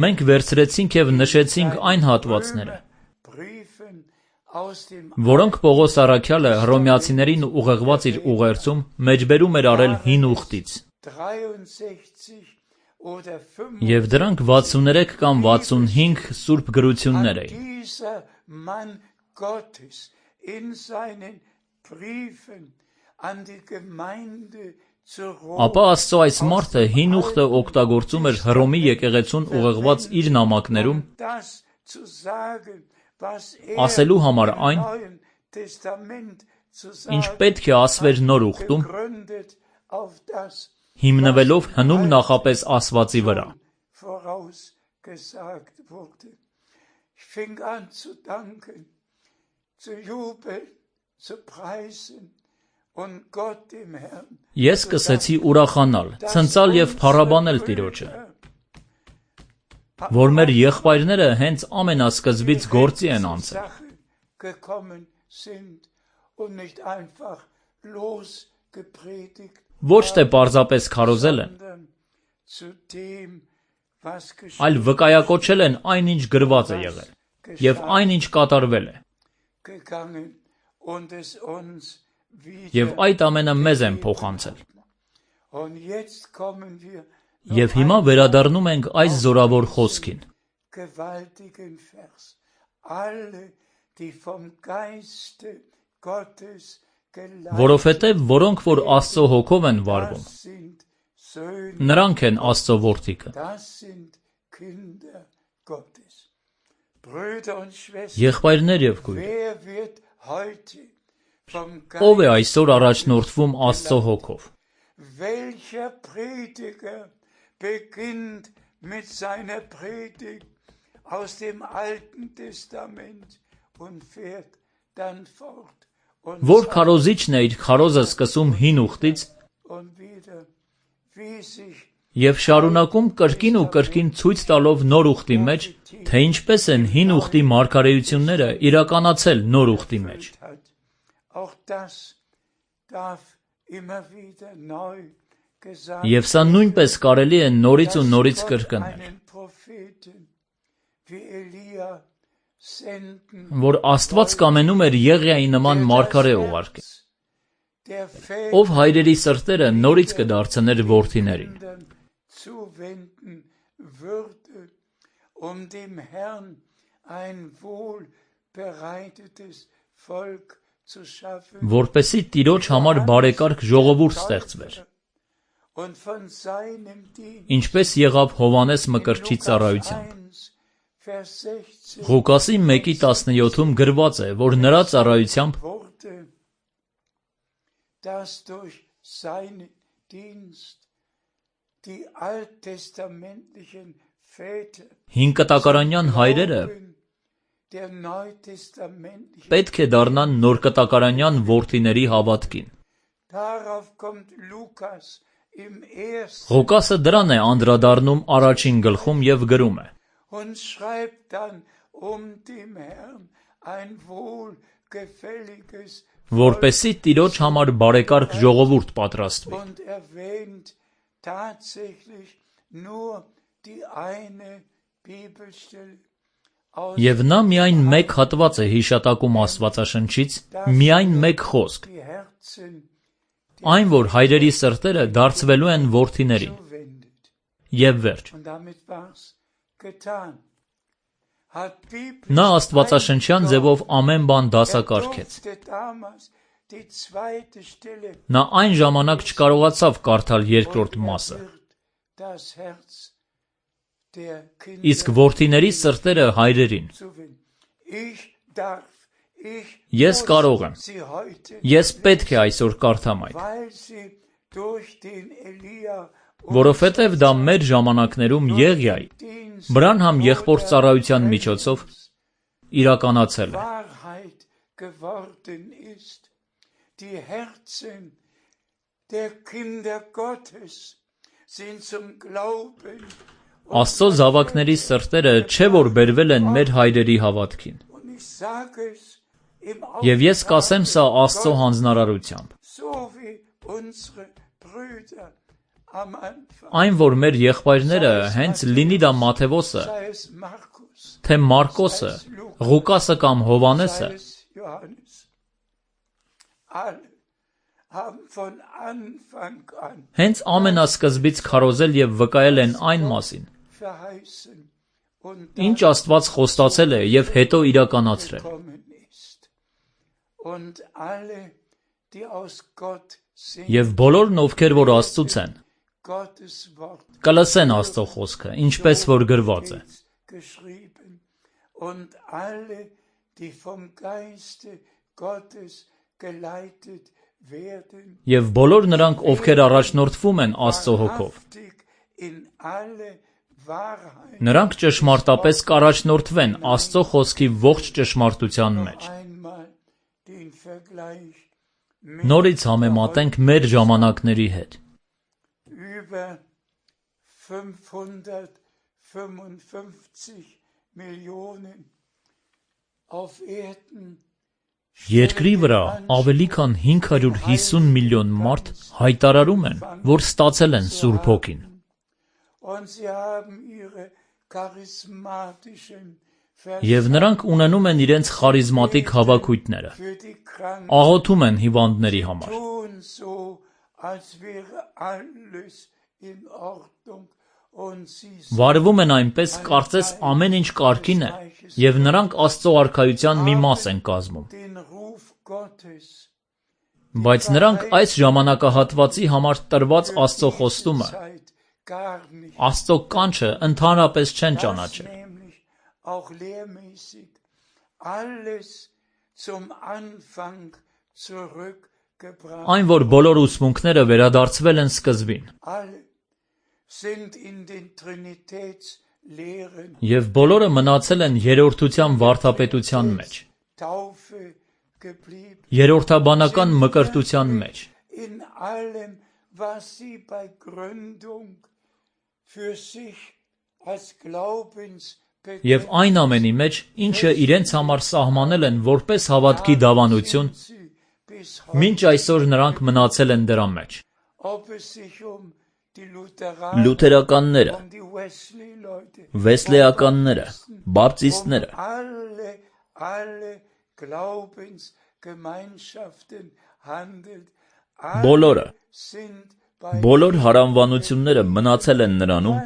A: Մենք վերցրեցինք և նշեցինք այն հատվածները, որոնք Պողոս առաքյալը Հռոմեացիներին ուղղված իր ուղերձում մեջբերում էր արել հին ուխտից։ Եվ դրանք 63 կամ 65 սուրբ գրություններ էին։ Ապա Աստծո այս մարդը հին ուխտը օգտագործում էր Հռոմի եկեղեցուն ուղղված իր նամակներում ասելու համար այն, ինչ պետք է ասվեր նոր ուխտում, հիմնվելով հնում նախապես ասվածի վրա։ Ես սկսեցի ուրախանալ, ցնծալ և փառաբանել Տիրոջը, որ մեր եղբայրները հենց ամենասկզբից գործի են անցել։ Ոչ թե պարզապես քարոզել են, այլ վկայակոչել են այն, ինչ գրված է եղել, և այն, ինչ կատարվել է։ Եվ այդ ամենը մեզ են փոխանցել։ Եվ հիմա վերադառնում ենք այս զորավոր խոսքին։ Որովհետև որոնք որ Աստծո հոգով են վարվում, նրանք են Աստծո որդիքը։ Եղբայրներ եւ քույրեր, ով է այսօր առաջնորդվում Աստծո հոգով։
C: Welcher Prediger beginnt mit seiner Predigt aus dem Alten Testament und fährt dann fort
A: Որ քարոզիչն է իր քարոզը սկսում հին ուխտից
C: und wieder wie sich
A: եւ շարունակում կրկին ու կրկին ցույց տալով նոր ուխտի մեջ, թե ինչպես են հին ուխտի մարգարեությունները իրականացել նոր ուխտի մեջ։
C: auch das darf immer wieder neu gesagt
A: Եվ սա նույնպես կարելի է նորից ու նորից կրկնել, որ Աստված կամենում էր Եղիայի նման մարգարե ուղարկել, ով հայրերի սրտերը նորից կդարձներ որդիներին,
C: dem Herrn ein wohlbereitetes Volk zu schaffen,
A: որպեսզի Տիրոջ համար բարեկարգ ժողովուրդ ստեղծվեր,
C: und von seinem Dienst,
A: ինչպես եղավ Հովհաննես Մկրտչի ծառայությամբ։
C: Vers 16
A: Ղուկասի 1:17-ում գրված է, որ նրա ծառայությամբ
C: wurde, dass durch seinen Dienst die alttestamentlichen Väter
A: հինկտակարանյան հայրերը
C: der neutestamentlichen,
A: պետք է դառնան նորկտակարանյան որդիների havատքին։
C: darauf kommt Lukas im ersten
A: Ղուկասը դրան է անդրադառնում առաջին գլխում եւ գրում է.
C: und schreibt dann dem Herrn ein wohlgefälliges
A: որպեսզի Տիրոջ համար բարեկարգ ժողովուրդ պատրաստվի։
C: und erwähnt tatsächlich nur die eine Bibelstelle aus
A: Եվ նա միայն մեկ հատված է հիշատակում Աստվածաշնչից, միայն մեկ խոսք,
C: die Herzen
A: այն որ հայրերի սրտերը դարձվելու են որդիներին։
C: zuwendet.
A: Եվ վերջ։
C: Und damit war's getan. Hat
A: Նա աստվածաշնչյան ձևով ամեն բան դասակարգեց։
C: damals die zweite Stelle
A: Նա այն ժամանակ չկարողացավ կարդալ երկրորդ մասը,
C: das Herz der Kinder
A: իսկ որդիների սրտերը հայրերին։
C: zuwenden. Ich darf, ich
A: Ես կարող եմ,
C: sie heute,
A: ես պետք է այսօր կարդամ այդ,
C: weil sie durch den Elia
A: որովհետև դա մեր ժամանակներում Եղիայի,
C: Dienst
A: Բրանհամ եղբոր ծառայության միջոցով իրականացել է։
C: Wahrheit geworden ist. Die Herzen der Kinder Gottes sind zum Glauben
A: Աստծո զավակների սրտերը չէ որ բերվել են մեր հայրերի հավատքին։
C: und ich sage es im
A: Եվ ես կասեմ սա Աստծո հանձնարարությամբ։
C: so wie unsere Brüder am Anfang,
A: Այն որ մեր եղբայրները հենց լինի դա Մաթեվոսը,
C: sei es Markus,
A: թե Մարկոսը, Ղուկասը կամ Հովհաննեսը,
C: sei es Johannes, alle haben von Anfang an
A: հենց ամենասկզբից քարոզել եւ վկայել են այն մասին,
C: verheißen und
A: ինչ Աստված խոստացել է եւ հետո իրականացրել։
C: gekommen ist. Und alle, die aus Gott sind,
A: Եվ բոլորն ովքեր որ Աստծուց են,
C: Gottes Wort
A: կլսեն Աստծո խոսքը, ինչպես որ գրված է։
C: geschrieben. Und alle, die vom Geiste Gottes geleitet werden,
A: Եվ բոլոր նրանք, ովքեր առաջնորդվում են Աստծո հոգով,
C: wahrhaftig in alle Wahrheit
A: նրանք ճշմարտապես կառաջնորդվեն Աստծո խոսքի ողջ ճշմարտության մեջ։
C: einmal den Vergleich
A: Նորից համեմատենք մեր ժամանակների հետ։
C: über 555 Millionen auf Erden
A: Երկրի վրա ավելի քան 550 միլիոն մարդ հայտարարում են, որ ստացել են Սուրբ Հոգին,
C: und sie haben ihre charismatischen
A: եւ նրանք ունենում են իրենց խարիզմատիկ հավաքույթները,
C: für die Kranken,
A: աղոթում են հիվանդների համար,
C: tun so, als wäre alles in Ordnung und sie
A: վարվում են այնպես, կարծես ամեն ինչ կարգին է, Եվ նրանք Աստծո արքայության մի մաս են կազմում։ Բայց նրանք այս ժամանակահատվածի համար տրված Աստծո խոստումը, Աստծո կանչը ընդհանրապես չեն ճանաչել։ Այն, որ բոլոր ուսմունքները վերադարձվել են սկզբին, և բոլորը մնացել են երրորդության վարդապետության մեջ, երրորդաբանական մկրտության մեջ, և այն ամենի մեջ, ինչը իրենց համար սահմանել են որպես հավատքի դավանություն, մինչ այսօր նրանք մնացել են դրա մեջ։ Լութերականները, վեսլեականները, բապտիստները, բոլոր հարանվանությունները մնացել են նրանում,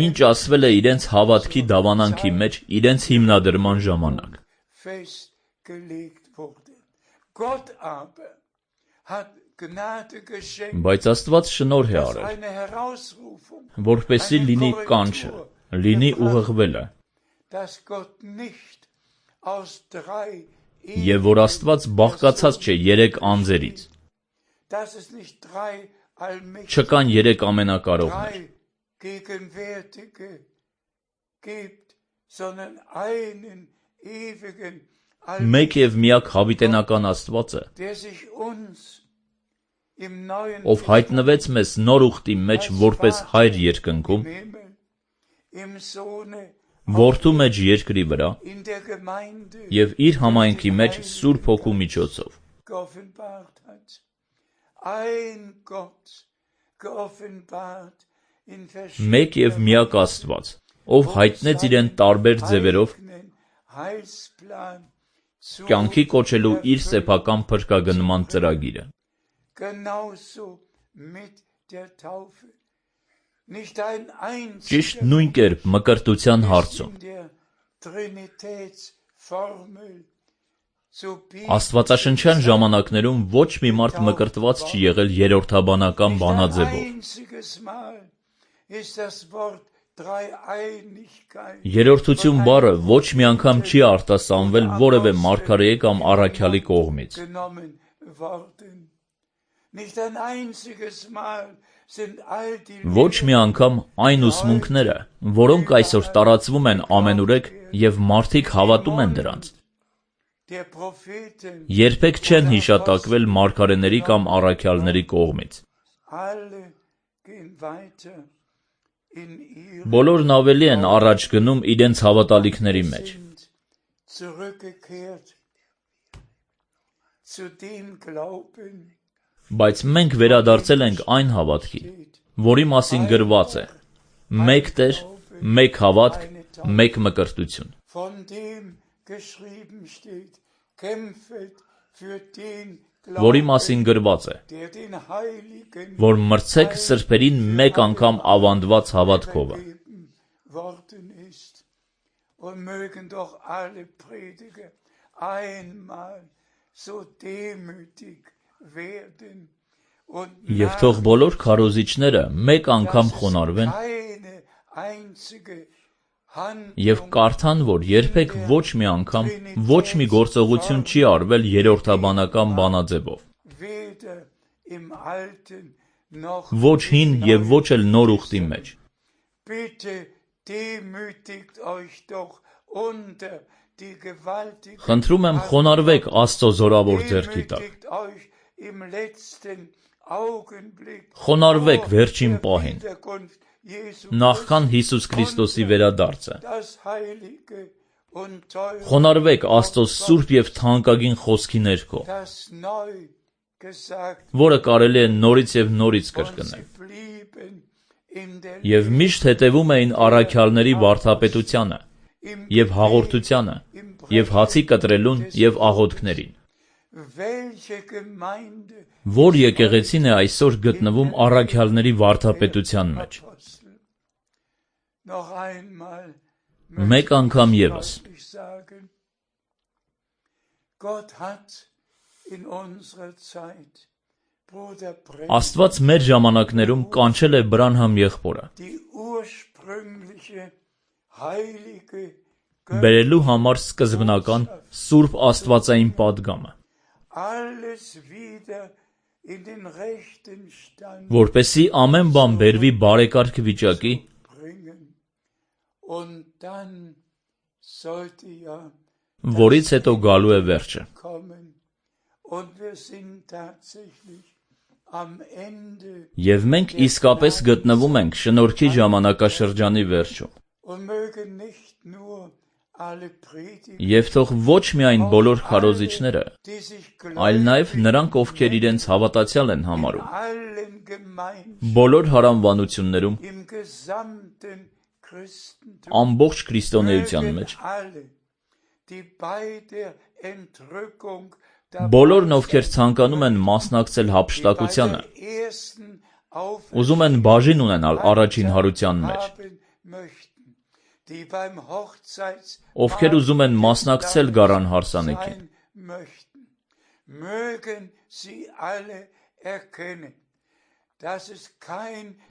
A: ինչ ասվել է իրենց հավատքի դավանանքի մեջ իրենց հիմնադրման ժամանակ։ Բայց Աստված շնորհ է արել, որպեսզի լինի կանչը, լինի ուղղվելը, և որ Աստված բաղկացած չէ երեք անձերից, չկան երեք ամենակարողներ, մեկ և միակ հավիտենական Աստվածը, ով հայտնվեց մեզ նոր ուխտի մեջ որպես Հայր երկնքում, Որդու մեջ երկրի վրա և իր համայնքի մեջ Սուրբ Հոգու միջոցով։ Մեկ և միակ Աստված, ով հայտնեց իրեն տարբեր ձևերով կյանքի կոչելու իր սեփական փրկագնման ծրագիրը։ Ճիշտ նույն կերպ մկրտության հարցում Աստվածաշնչյան ժամանակներում ոչ մի մարդ մկրտված չի եղել երրորդաբանական բանաձևով։ Երրորդություն բառը ոչ մի անգամ չի արտասանվել որևէ մարգարեի կամ առաքյալի կողմից։ Ոչ մի անգամ այն ուսմունքները, որոնք այսօր տարածվում են ամենուրեք և մարդիկ հավատում են դրանց, երբեք չեն հիշատակվել մարգարեների կամ առաքյալների կողմից։ Բոլորն ավելի են առաջ գնում իրենց հավատալիքների մեջ։ Բայց մենք վերադարձել ենք այն հավատքին, որի մասին գրված է. մեկ Տեր, մեկ հավատք, մեկ մկրտություն։ Որի մասին գրված է, որ մրցեք սրբերին մեկ անգամ ավանդված հավատքովը։ Եվ թող բոլոր քարոզիչները մեկ անգամ խոնարհվեն և կարդան, որ երբեք ոչ մի անգամ ոչ մի գործողություն չի արվել երրորդաբանական բանաձևով, ոչ հին և ոչ էլ նոր ուխտի մեջ։ Խնդրում եմ խոնարհվեք Աստծո զորավոր ձեռքի տակ։ Խոնարհվեք վերջին պահին, նախքան Հիսուս Քրիստոսի վերադարձը։ Խոնարհվեք Աստծո սուրբ և թանկագին խոսքի ներքո, որը կարելի է նորից և նորից կրկնել։ Եվ միշտ հետևում էին առաքյալների վարդապետությանը, և հաղորդությանը, և հացի կտրելուն և աղոթքներին։ Որ եկեղեցին է այսօր գտնվում առաքյալների վարդապետության մեջ։
C: noch einmal
A: Մեկ անգամ ևս
C: deutlich sagen, Gott hat in unserer Zeit Bruder Branham
A: Աստված մեր ժամանակներում կանչել է Բրանհամ եղբորը
C: die ursprüngliche heilige
A: բերելու համար սկզբնական Սուրբ Աստվածային պատգամը,
C: alles wieder in den rechten Stand
A: որպեսզի ամեն բան բերվի բարեկարգ վիճակի,
C: bringen. Und dann sollte ja
A: որից հետո գալու է վերջը։
C: kommen. Und wir sind tatsächlich am Ende
A: Եվ մենք իսկապես գտնվում ենք շնորհքի ժամանակաշրջանի վերջում։
C: und mögen nicht nur alle Prediger,
A: Եվ թող ոչ միայն բոլոր քարոզիչները,
C: die sich
A: այլ
C: gläubig
A: նաև նրանք, ովքեր իրենց հավատացյալ են համարում,
C: allen Gemeinden
A: բոլոր հարանվանություններում,
C: im gesamten Christentum,
A: ամբողջ քրիստոնեության
C: mögen
A: մեջ,
C: alle, die bei der Entrückung
A: բոլորն, ովքեր ցանկանում են մասնակցել հափշտակությանը, ուզում են բաժին ունենալ առաջին հարության մեջ, ովքեր ուզում են մասնակցել գարան հարսանեկին,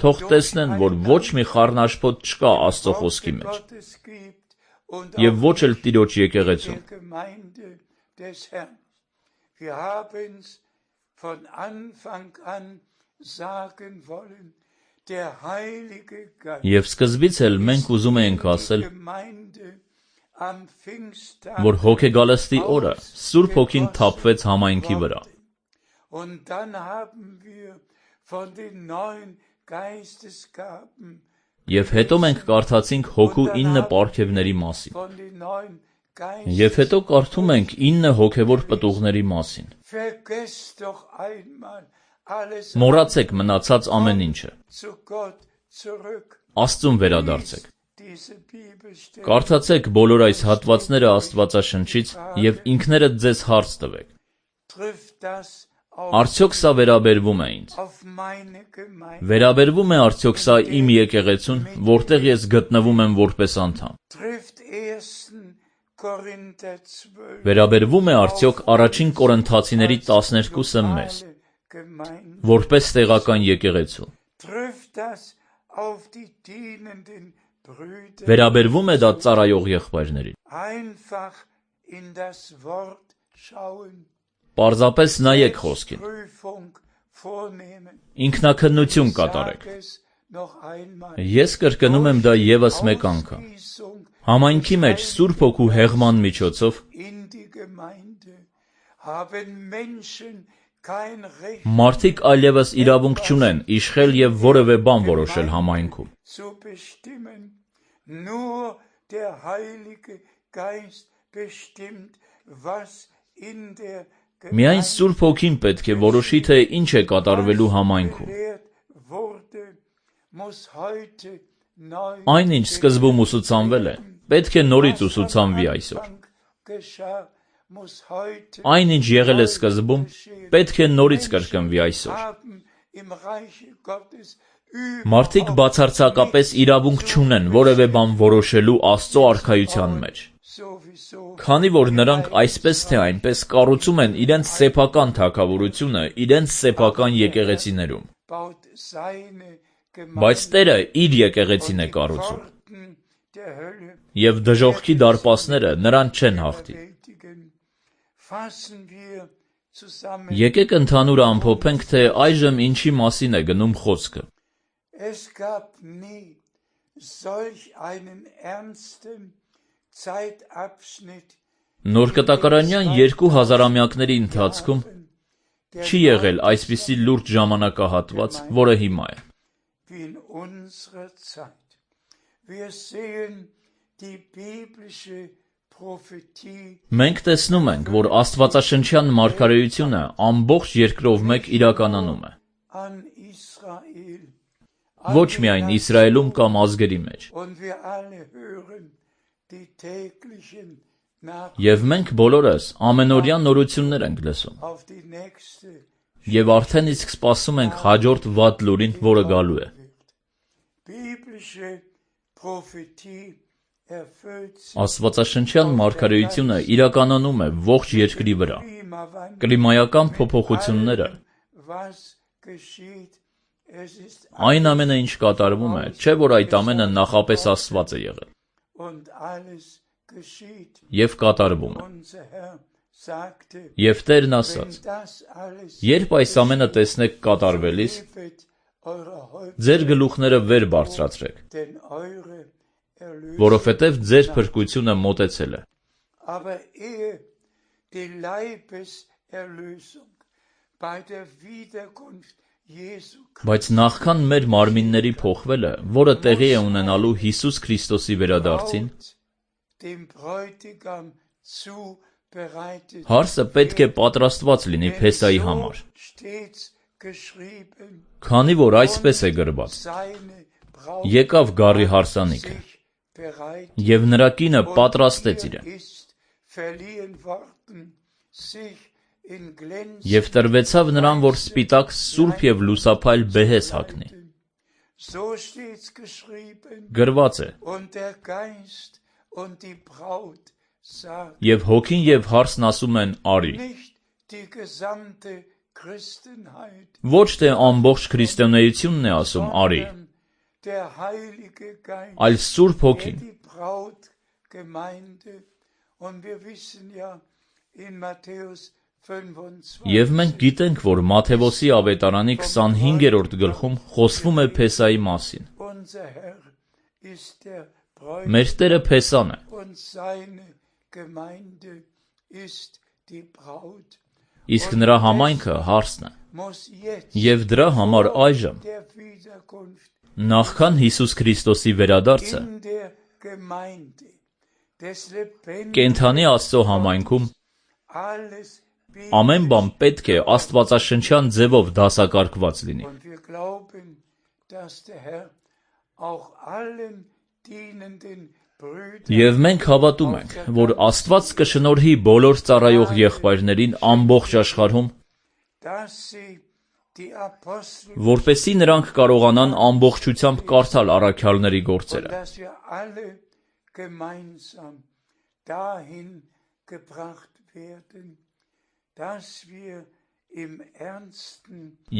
A: թող տեսնեն, որ ոչ մի խառնաշփոթ չկա Աստծո խոսքի մեջ, և ոչ էլ Տիրոջ եկեղեցում։
C: Wir haben es von Anfang an sagen wollen, der Heilige Geist,
A: Եվ սկզբից էլ մենք ուզում էինք ասել,
C: Gemeinde am Pfingsttag,
A: որ հոգեգալստի օրը Սուրբ Հոգին թափվեց համայնքի վրա,
C: und dann haben wir von den neuen Geistesgaben,
A: և հետո մենք կարդացինք հոգու 9 պարգևների մասին,
C: von den neuen
A: և հետո կարդում ենք 9 հոգևոր պտուղների մասին։
C: Vergesst doch einmal alles
A: Մոռացեք մնացած ամեն ինչը,
C: zu Gott zurück.
A: Աստծուն վերադարձեք։
C: Diese Bibelstelle
A: Կարդացեք բոլոր այս հատվածները Աստվածաշնչից և ինքներդ ձեզ հարց տվեք.
C: trifft das auf,
A: Արդյոք սա վերաբերվում է ինձ։
C: auf meine Gemeinde?
A: Վերաբերվում է արդյոք սա իմ եկեղեցուն, որտեղ ես գտնվում եմ որպես անդամ։
C: Trifft 1. Korinther 12
A: Վերաբերվում է արդյոք առաջին Կորինթացիների 12-ը մեզ,
C: alle Gemeinden?
A: որպես տեղական եկեղեցու։
C: Trifft das auf die dienenden Brüder?
A: Վերաբերվում է դա ծառայող եղբայրներին։
C: Einfach in das Wort schauen,
A: Պարզապես նայեք խոսքին,
C: Prüfung vornehmen.
A: ինքնաքննություն կատարեք։
C: Sag es noch einmal.
A: Ես կրկնում եմ դա ևս մեկ անգամ։
C: Ausgießung
A: Համայնքի մեջ Սուրբ Հոգու հեղման միջոցով
C: in die Gemeinde haben Menschen kein Recht
A: մարդիկ այլևս իրավունք չունեն իշխել եւ որևէ բան որոշել համայնքում։
C: zu bestimmen. Nur der Heilige Geist bestimmt, was in der
A: Միայն Սուրբ Հոգին պետք է որոշի, թե ինչ է կատարվելու համայնքում։
C: gelehrt wurde, muss heute neu
A: Այն ինչ սկզբում ուսուցանվել է, պետք է նորից ուսուցանվի այսօր։
C: geschah, muss heute
A: Այն ինչ եղել է սկզբում, պետք է նորից կրկնվի այսօր։
C: haben im Reiche Gottes
A: Մարդիկ բացարձակապես իրավունք չունեն որևէ բան որոշելու Աստծո արքայության մեջ,
C: sowieso
A: քանի որ նրանք այսպես թե այնպես կառուցում են իրենց սեփական թագավորությունը իրենց սեփական եկեղեցիներում,
C: baut seine
A: բայց
C: Gemeinde
A: Տերը իր եկեղեցին է կառուցում,
C: Pforten der Hölle
A: եւ դժոխքի դարպասները նրան չեն հաղթի։
C: bewältigen. Fassen wir zusammen.
A: Եկեք ընդհանուր ամփոփենք, թե այժմ ինչի մասին է գնում խոսքը։
C: Es gab nie solch einen ernsten Zeitabschnitt
A: Նոր կտակարանյան 2000-ամյակների ընթացքում չի եղել այսպիսի լուրջ ժամանակահատված, որը հիմա է։
C: wie in unserer Zeit. Wir sehen die biblische Prophetie
A: Մենք տեսնում ենք, որ Աստվածաշնչյան մարգարեությունը ամբողջ երկրով մեկ իրականանում է,
C: an Israel.
A: ոչ միայն Իսրայելում կամ ազգերի մեջ։
C: Und wir alle hören die täglichen Nachrichten
A: Եվ մենք բոլորս ամենօրյա նորություններ ենք լսում,
C: auf die nächste
A: եւ արդեն իսկ սպասում ենք հաջորդ վատ լուրին, որը գալու է։
C: biblische
A: Աստվածաշնչյան մարգարեությունը իրականանում է ողջ երկրի վրա։ Կլիմայական փոփոխությունները, այն ամենը, ինչ կատարվում է, չէ՞ որ այդ ամենը նախապես ասված է եղել և կատարվում է։ Եվ Տերն ասաց. երբ այս ամենը տեսնեք կատարվելիս, ձեր գլուխները վեր բարձրացրեք, որովհետև ձեր փրկությունը մոտեցել է։ Բայց նախքան մեր մարմինների փոխվելը, որը տեղի է ունենալու Հիսուս Քրիստոսի վերադարձին, հարսը պետք է պատրաստված լինի Փեսայի համար, քանի որ այսպես է գրված. եկավ գառի հարսանիքը, և նրա կինը պատրաստեց իրեն, և տրվեցավ նրան, որ սպիտակ, սուրբ և լուսափայլ բեհես հագնի։ Գրված է. և հոգին և հարսն ասում են արի։ Ոչ թե ամբողջ քրիստոնեությունն է ասում արի, այլ Սուրբ Հոգին։ Եվ մենք գիտենք, որ Մատթեոսի ավետարանի 25-րդ գլխում խոսվում է Փեսայի մասին։ Մեր Տերը Փեսան է։ Իսկ նրա համայնքը հարսն է։ Եվ դրա համար այժմ, նախքան Հիսուս Քրիստոսի վերադարձը, կենդանի Աստծո համայնքում ամեն բան պետք է աստվածաշնչյան ձևով դասակարգված լինի։ Եվ մենք հավատում ենք, որ Աստված կշնորհի բոլոր ծառայող եղբայրներին ամբողջ աշխարհում, որպեսզի նրանք կարողանան ամբողջությամբ կարդալ առաքյալների գործերը։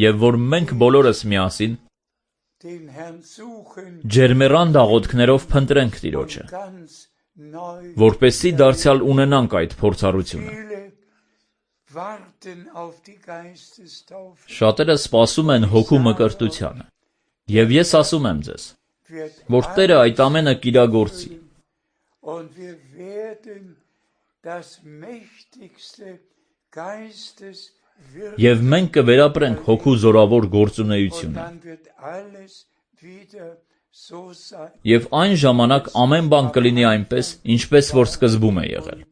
A: Եվ որ մենք բոլորս միասին ջերմեռան աղոթքներով փնտրենք Տիրոջը, որպեսզի դարձյալ ունենանք այդ փորձառությունը։ Շատերը սպասում են հոգու մկրտությանը, և ես ասում եմ ձեզ, որ Տերը այդ ամենը կիրագործի։ Եվ մենք կվերապրենք հոգու զորավոր գործունեությունը։ Եվ այն ժամանակ ամեն բան կլինի այնպես, ինչպես որ սկզբում է եղել։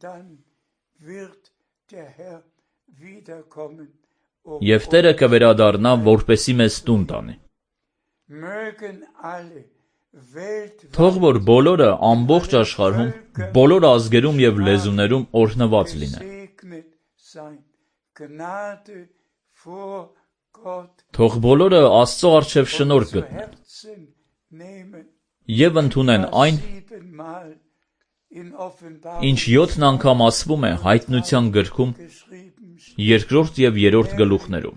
A: Եվ Տերը կվերադառնա, որպեսզի մեզ տուն տանի։ Թող որ բոլորը ամբողջ աշխարհում, բոլոր ազգերում և լեզուներում օրհնված լինեն։ Թող բոլորը Աստծո առջև շնորհք գտնեն և ընդունեն այն, ինչ 7 անգամ ասվում է Հայտնության գրքում 2 և 3 գլուխներում,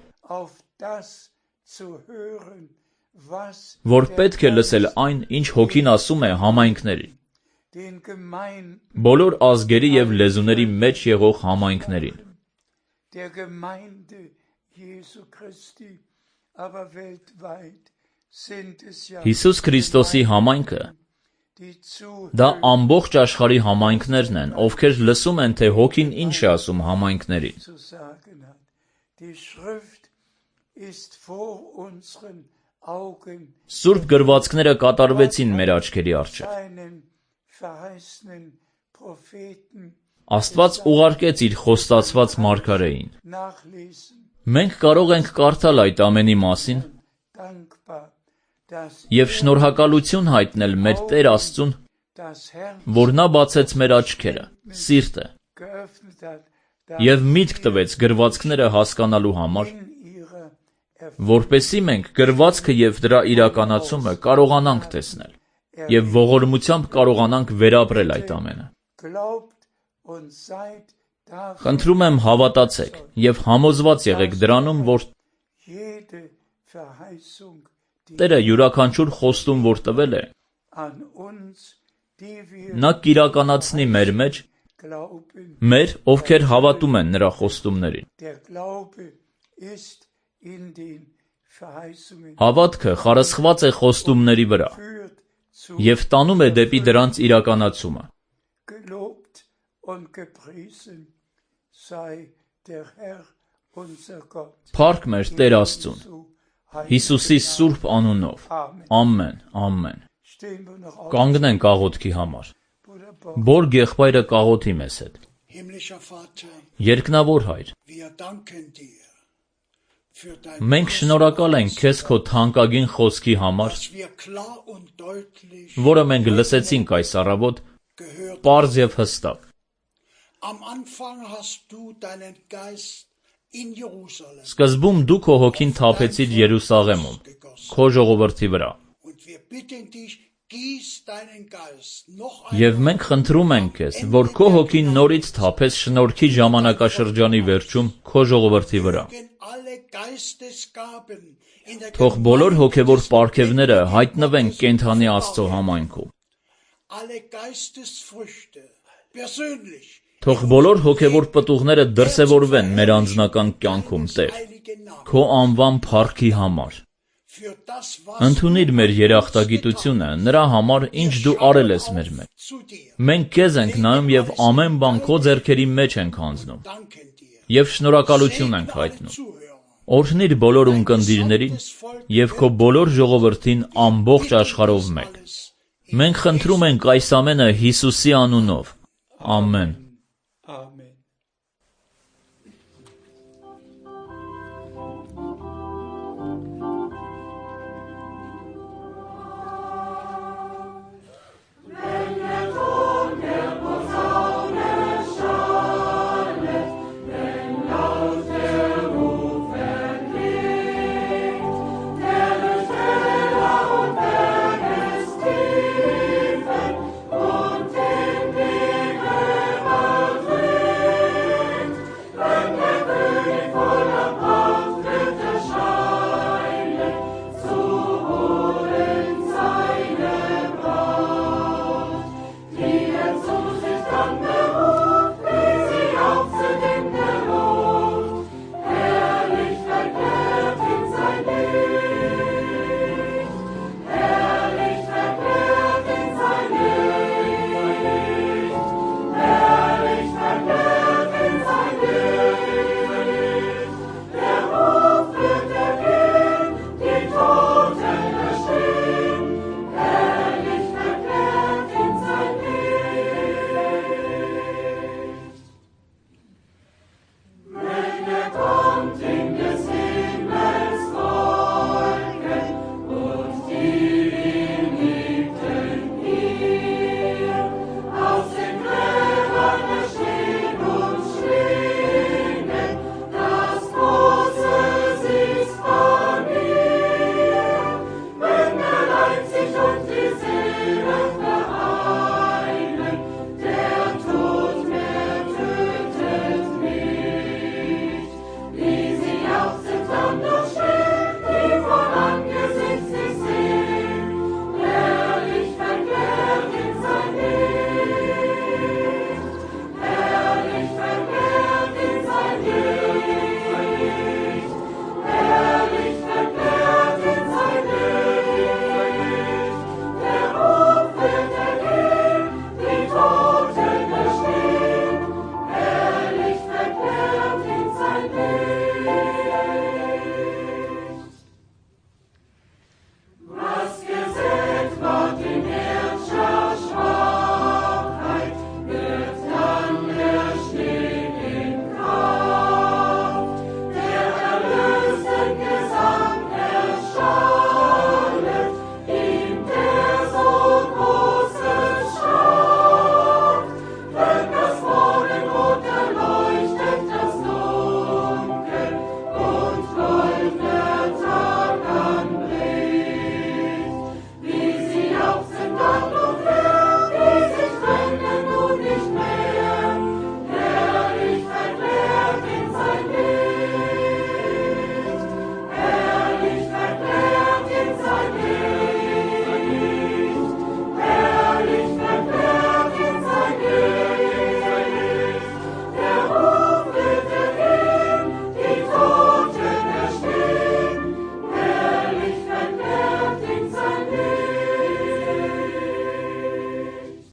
A: որ պետք է լսել այն, ինչ Հոգին ասում է համայնքներին, բոլոր ազգերի և լեզուների մեջ եղող համայնքներին։ Հիսուս Քրիստոսի համայնքը դա ամբողջ աշխարհի համայնքներն են, ովքեր լսում են, թե Հոգին ինչ է ասում համայնքներին։ Սուրբ գրվածքները կատարվեցին մեր աչքերի առջև։ Աստված ուղարկեց իր խոստացված մարգարեին։ Մենք կարող ենք կարդալ այդ ամենի մասին և շնորհակալություն հայտնել մեր Տեր Աստծուն, որ նա բացեց մեր աչքերը, սիրտը, և միտք տվեց գրվածքները հասկանալու համար, որպեսզի մենք գրվածքը և դրա իրականացումը կարողանանք տեսնել։ եւ ողորմությամբ կարողանանք վերապրել այդ ամենը։ Խնդրում եմ հավատացեք եւ համոզված եղեք դրանում, որ Տերը յուրաքանչյուր խոստում, որ տվել է, նա կիրականացնի մեր մեջ, մեր, ովքեր հավատում են նրա խոստումներին։ Հավատքը խարսխված է խոստումների վրա եւ տանում է դեպի դրանց իրականացումը։ Փառք մեր Տեր Աստծուն, Հիսուսի սուրբ անունով, ամեն, ամեն։ Կանգնենք աղոթքի համար։ Բորգ եղբայրը կաղոթի մեզ հետ։ Երկնավոր Հայր, մենք շնորհակալ ենք քեզ քո թանկագին խոսքի համար, որը մենք լսեցինք այս առավոտ, պարզ եւ հստակ։ Սկզբում դու քո հոգին թափեցիր Երուսաղեմում, քո ժողովրդի վրա։ Եվ մենք խնդրում ենք քեզ, որ քո հոգին նորից թափես շնորհքի ժամանակաշրջանի վերջում քո ժողովրդի վրա։ Թող բոլոր հոգևոր պարգևները հայտնվեն կենդանի Աստծո համայնքում։ Թող բոլոր հոգևոր պտուղները դրսևորվեն մեր անձնական կյանքում, Տեր, քո անվան փառքի համար։ Ընդունիր մեր երախտագիտությունը նրա համար, ինչ դու արել ես մեր մեջ։ Մենք քեզ ենք նայում եւ ամեն բան քո ձեռքերի մեջ ենք հանձնում։ Եվ շնորհակալություն ենք հայտնում։ Օրհնիր բոլոր ունկնդիրներին եւ քո բոլոր ժողովրդին ամբողջ աշխարհով մեկ։ Մենք խնդրում ենք այս ամենը Հիսուսի անունով։ Ամեն։